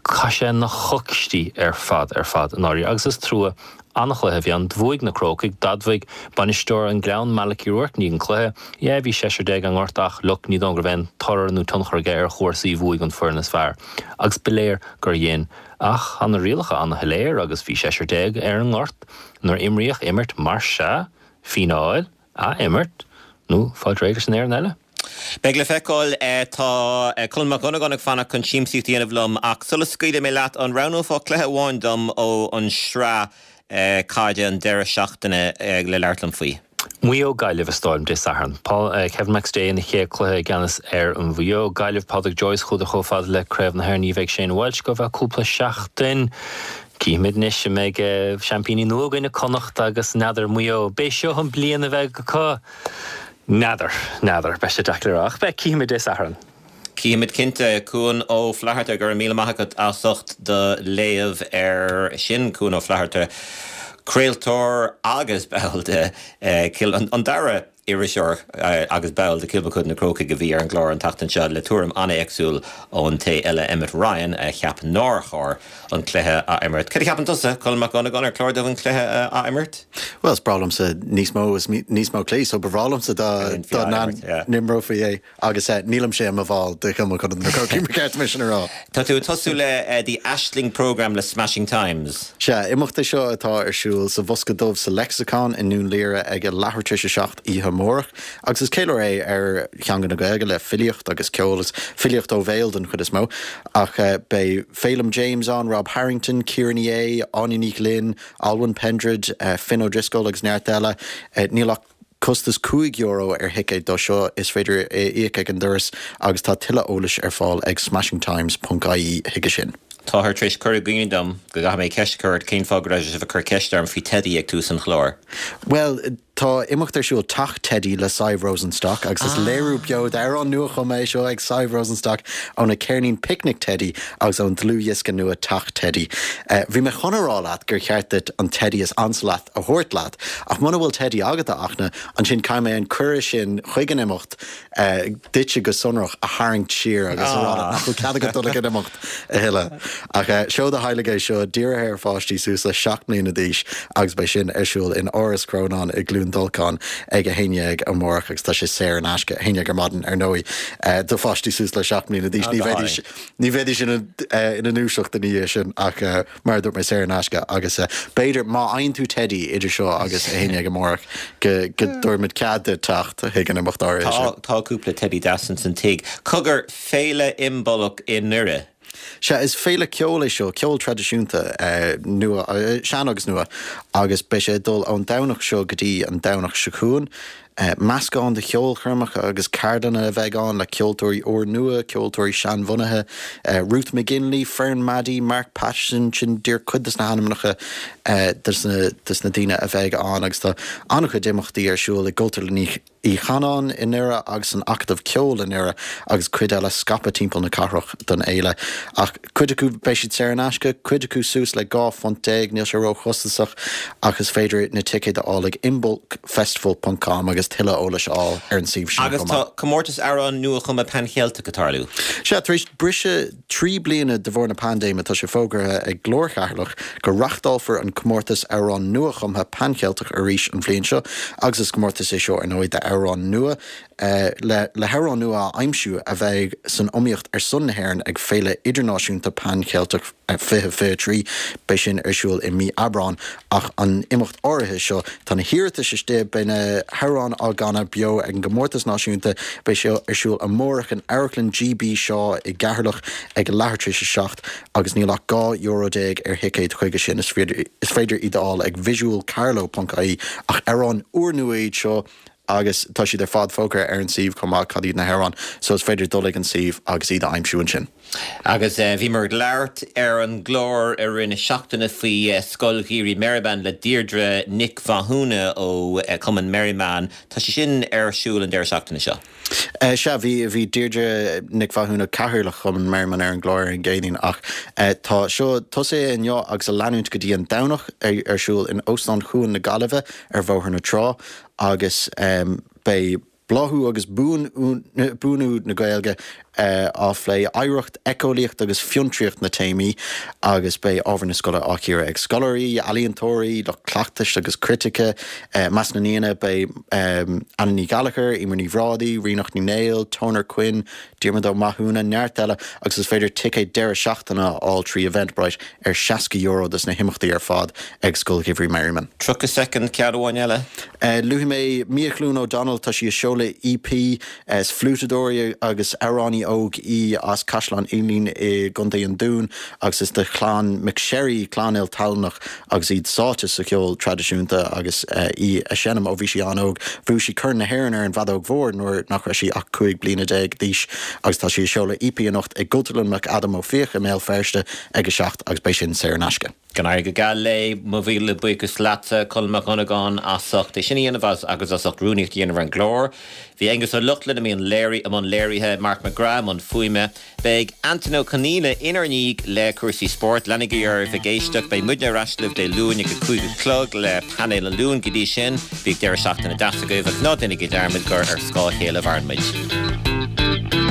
Tá sé ina choicstí ar fad ar fad i ndáiríre agus is trua. An-chluiche a bhí ann. Bhuaigh na Crócaigh. D'admhaigh bainisteoir an Gleann, Malachy Rourke, i ndiaidh an cluiche, Yeah, bhí seisear déag ar an ngort ach look, ní dóigh go raibh aon toradh nó tionchar aige ar chúrsaí, bhuaigh an foireann is fearr. Agus ba léir gur dhein. Ach tá na rialacha an-shoiléir agus bhí seisear déag ar an ngort nuair a imríodh imirt mar sea, fíneáil, ath-imirt nó fáil réidh leis an fhoireann eile. Beidh le feiceáil. Tá Colm Mac Dhonnagáin ag fanacht chun siamsaíocht a dhéanamh liom ach sula scaoilfidh mé leat, an roghnófá cluiche amháin dom ó an sraith caide an deireadh seachtaine le labhairt liom faoi? Maigh Eo Gaillimh is dóigh liom Dé Sathairn. Paul, Kevin McStay ina chéad cluiche i gceannas ar an Mhaigh Eo. Gaillimh, Pádraic Joyce chuadar chomh fada le Craobh na hÉireann. Ní bheidh Shane Walsh go feadh cúpla seachtain. Cífimid anois an mbeidh seaimpíní nua againn i Connacht agus n'fheadar Maigh Eo. B'é seo an bliain a bheidh acu. N'fheadar, n'fheadar. Beidh sé deacair le rá. Ach beidh, cífimid Dé Sathairn. Cífimid cinnte. Cuan Ó Flatharta, go raibh míle maith agat as ucht do léamh ar sin. Cuan Ó Flatharta, craoltóir agus ball de Cill, an dara iriseoir agus ball de Kilmacud na Crócaigh a bhí ar an gclár an tseachtain seo le tuairim an-éagsúil ón té eile, Emmet Ryan, a cheap nár chóir an cluiche a imirt. Cad a cheapann tusa, Colm Mac Dhonnagáin, ar chóir dóibh an cluiche a ath-imirt? Bhuel, is breá liomsa níos mó is níos mó cluichí, so ba bhreá liomsa dá n-imreofaí é. Agus nílimse i mo bhall de Chilmacud na Crócaigh, ba cheart dom sin a rá. Tá tú ag tosú le The Aisling Programme le Smashing Times. Sea, imeacht é seo atá ar siúl sa Bhosca Dubh sa Lexicon i nDún Laoghaire ag a leathuair tar éis a 7 oíche amárach. Agus is ceiliúradh é ar theanga na Gaeilge le filíocht agus ceol, is filíocht ó bhéal den chuid is mó. Ach beidh Féilim James ann, Rob Harrington, Ciara Ní É, Áine Ní Ghlinn, Alwyn Pendred, Finn O'Driscoll agus neart eile. Níl ach costas €5 ar thicéad dó seo, is féidir é a íoc ag an doras agus tá tuilleadh eolais ar fáil ag smashingtimes ponc ie chuige sin. Táthar tar éis cur i gcuimhne dom go gcaithfidh mé ceist a chur ort, cén fáth go raibh sibh ag cur ceist orm faoi teidí ag tús an chláir? Bhuel. Tá imeacht ar siúl, Teach Teidí le Sadhbh Rosenstock agus is léiriú beo d'amhrán nuachumtha é seo ag Sadhbh Rosenstock óna ceirnín Picnic Teidí agus ón dlúthdhiosca nua Teach Teidí. Bhí mé chun a rá leat gur cheart duit an teidí is ansa leat a thabhairt leat ach muna bhfuil teidí agat, a Fhachtna, ansin caithfidh mé an cuireadh sin chuig an imeacht duitse go sonrach a tharraingt siar agus a rá leat nach bhfuil cead agat dul ag an imeacht a thuilleadh. Ach seó do theaghlaigh é seo, dírithe ar pháistí suas le 7 mbliana d'aois agus beidh sin ar siúl in Áras Chrónáin i gCluain Dolcáin ag 11 amárach agus tá sé saor in aisce, 11 ar maidin ar ndóigh, do pháistí suas le 7 mbliana d'aois. Ní bheidís ní bheidís ina ina ndúiseacht ina dhiaidh sin ach mar a dúirt mé, saor in aisce agus b'fhéidir má fhaigheann tú teidí idir seo agus 11 amárach go go dtabharfaimid cead duit teacht chuig an imeacht áirithe sin. Tá cúpla teidí deas ins an tigh. Cogar, Féile Imbolc i nDoire. Sea, is féile ceoil é seo, ceol traidisiúnta, nua, sean agus nua, agus beidh sé ag dul ón Domhnach seo go dtí an Domhnach seo chugainn. Meascán de cheolchoirmeacha agus ceardlanna a bheidh ann le ceoltóirí úrnua, ceoltóirí seanbhunaithe, Ruth McGinley, Fern Maddie, Mark Patterson, sin díreach cuid de na hainmneacha de na daoine a bheidh ann agus tá an-chuid imeachtaí ar siúl i gCultúrlann Uí Chanáin i nDoire agus san Acadamh Ceoil i nDoire agus cuid eile scaipthe timpeall na cathrach don fhéile. Ach cuid acu beidh siad saor in aisce, cuid acu suas le 12 phunt, níl sé róchostasach ach is féidir na ticéid a fháil ag imbolcfestival ponc com agus tuilleadh eolais a fháil ar an suíomh sin Agus chomh maith. tá comórtas amhrán nua-chumtha Pan-Cheilteach ag tarlú. Sea, tar éis briseadh 3 bliana de bharr na paindéime, tá sé fógartha ag Glór Cheatharlach go reachtálfar an comórtas amhrán nua-chumtha Pan-Cheilteach arís an bhliain seo agus is comórtas é seo ar ndóigh d'amhráin nua le le hamhráin nua a aimsiú a bheidh san iomaíocht ar son na hÉireann ag Féile Idirnáisiúnta Pan-Cheilteach 2023. Beidh sin ar siúl i mí Aibreáin ach an imeacht áirithe seo, tá na hiarratais istigh, beidh na hamhráin á gcanadh beo ag an gcomórtas náisiúnta, beidh sé ar siúl amárach in Amharclann GB Shaw i gCeatharlach ag a leathuair tar éis a 7 agus níl ach €12 ar thicéad chuige sin. Is féidir iad a fháil ag visualcarlow ponc ie ach amhráin úrnua iad seo agus tá siad ar fad fógartha ar an suíomh chomh maith cad iad na hamhráin so is féidir dul ag an suíomh agus iad a aimsiú ansin. Agus bhíomar ag labhairt ar an gclár i rith na seachtaine faoi Scoil Gheimhridh Merriman le Deirdre Nic Mhathúna ó Chumann Merriman. Tá sé sin ar siúl an deireadh seachtaine seo. Sea, bhí, bhí Deirdre Nic Mhathúna, Cathaoirleach Chumann Merriman ar an gclár ar an gCéadaoin ach tá seo tosaithe inniu agus ag leanúint go dtí an Domhnach ar siúl in Óstán Chuan na Gaillimhe ar Bhóthar na Trá. agus beidh bláthú agus buanú na Gaeilge á phlé, oidhreacht, éiceolaíocht agus fiontraíocht na téamaí agus beidh ábhar na scoile á chíoradh ag scoláirí, ealaíontóirí, lucht cleachtais agus critice. I measc na n-aíonna beidh Anna Ní Ghallchóir, Eimear Ní Bhrádaigh, Ríonach Ní Néill, Toner Quinn, Diarmuid Ó Mathúna, neart eile agus is féidir ticéid deireadh seachtaine a fháil trí Eventbrite ar €60 dos na himeachtaí ar fad ag Scoil Gheimhridh Merriman. 30 soicind, ceann amháin eile. Luafaidh mé Micheline O'Donnell, tá sí ag seoladh EP, is fliúiteadóir í agus amhránaí óg í as Caisleán Uidhilín i gContae an Dúin agus is de chlann McSherry, clann iltallannach agus iad sáite sa cheol traidisiúnta agus í a seinm ó bhí sí an-óg. Bhuaigh sí Corn na hÉireann ar an bhfeadóg mhór nuair nach raibh sí ach 15 bliana d'aois agus tá sí ag seoladh EP anocht i gCultúrlann McAdam Ó Fiaich i mBéal Feirste ag 7 agus beidh sin saor in aisce. Go n-éirí go geal léi. Mo mhíle buíochas leatsa, Colm Mac Dhonnagáin, as ucht é sin a dhéanamh agus as ucht rúnaíocht a dhéanamh ar an gclár. Bhí Aengus Ó Lochlainn i mbun léirithe, Mark McGrath i mbun fuaime. Beidh Antain Ó Conaola inár ndiaidh le cúrsaí spóirt. Leanaigí oraibh ag éisteacht. Beidh muidne ar ais libh Dé Luain ag a 5 a chlog le Painéal an Luain. Go dtí sin, bíodh deireadh seachtaine deas agaibh agus ná déanaigí dearmad gur ar scáth a chéile a mhaireann muid.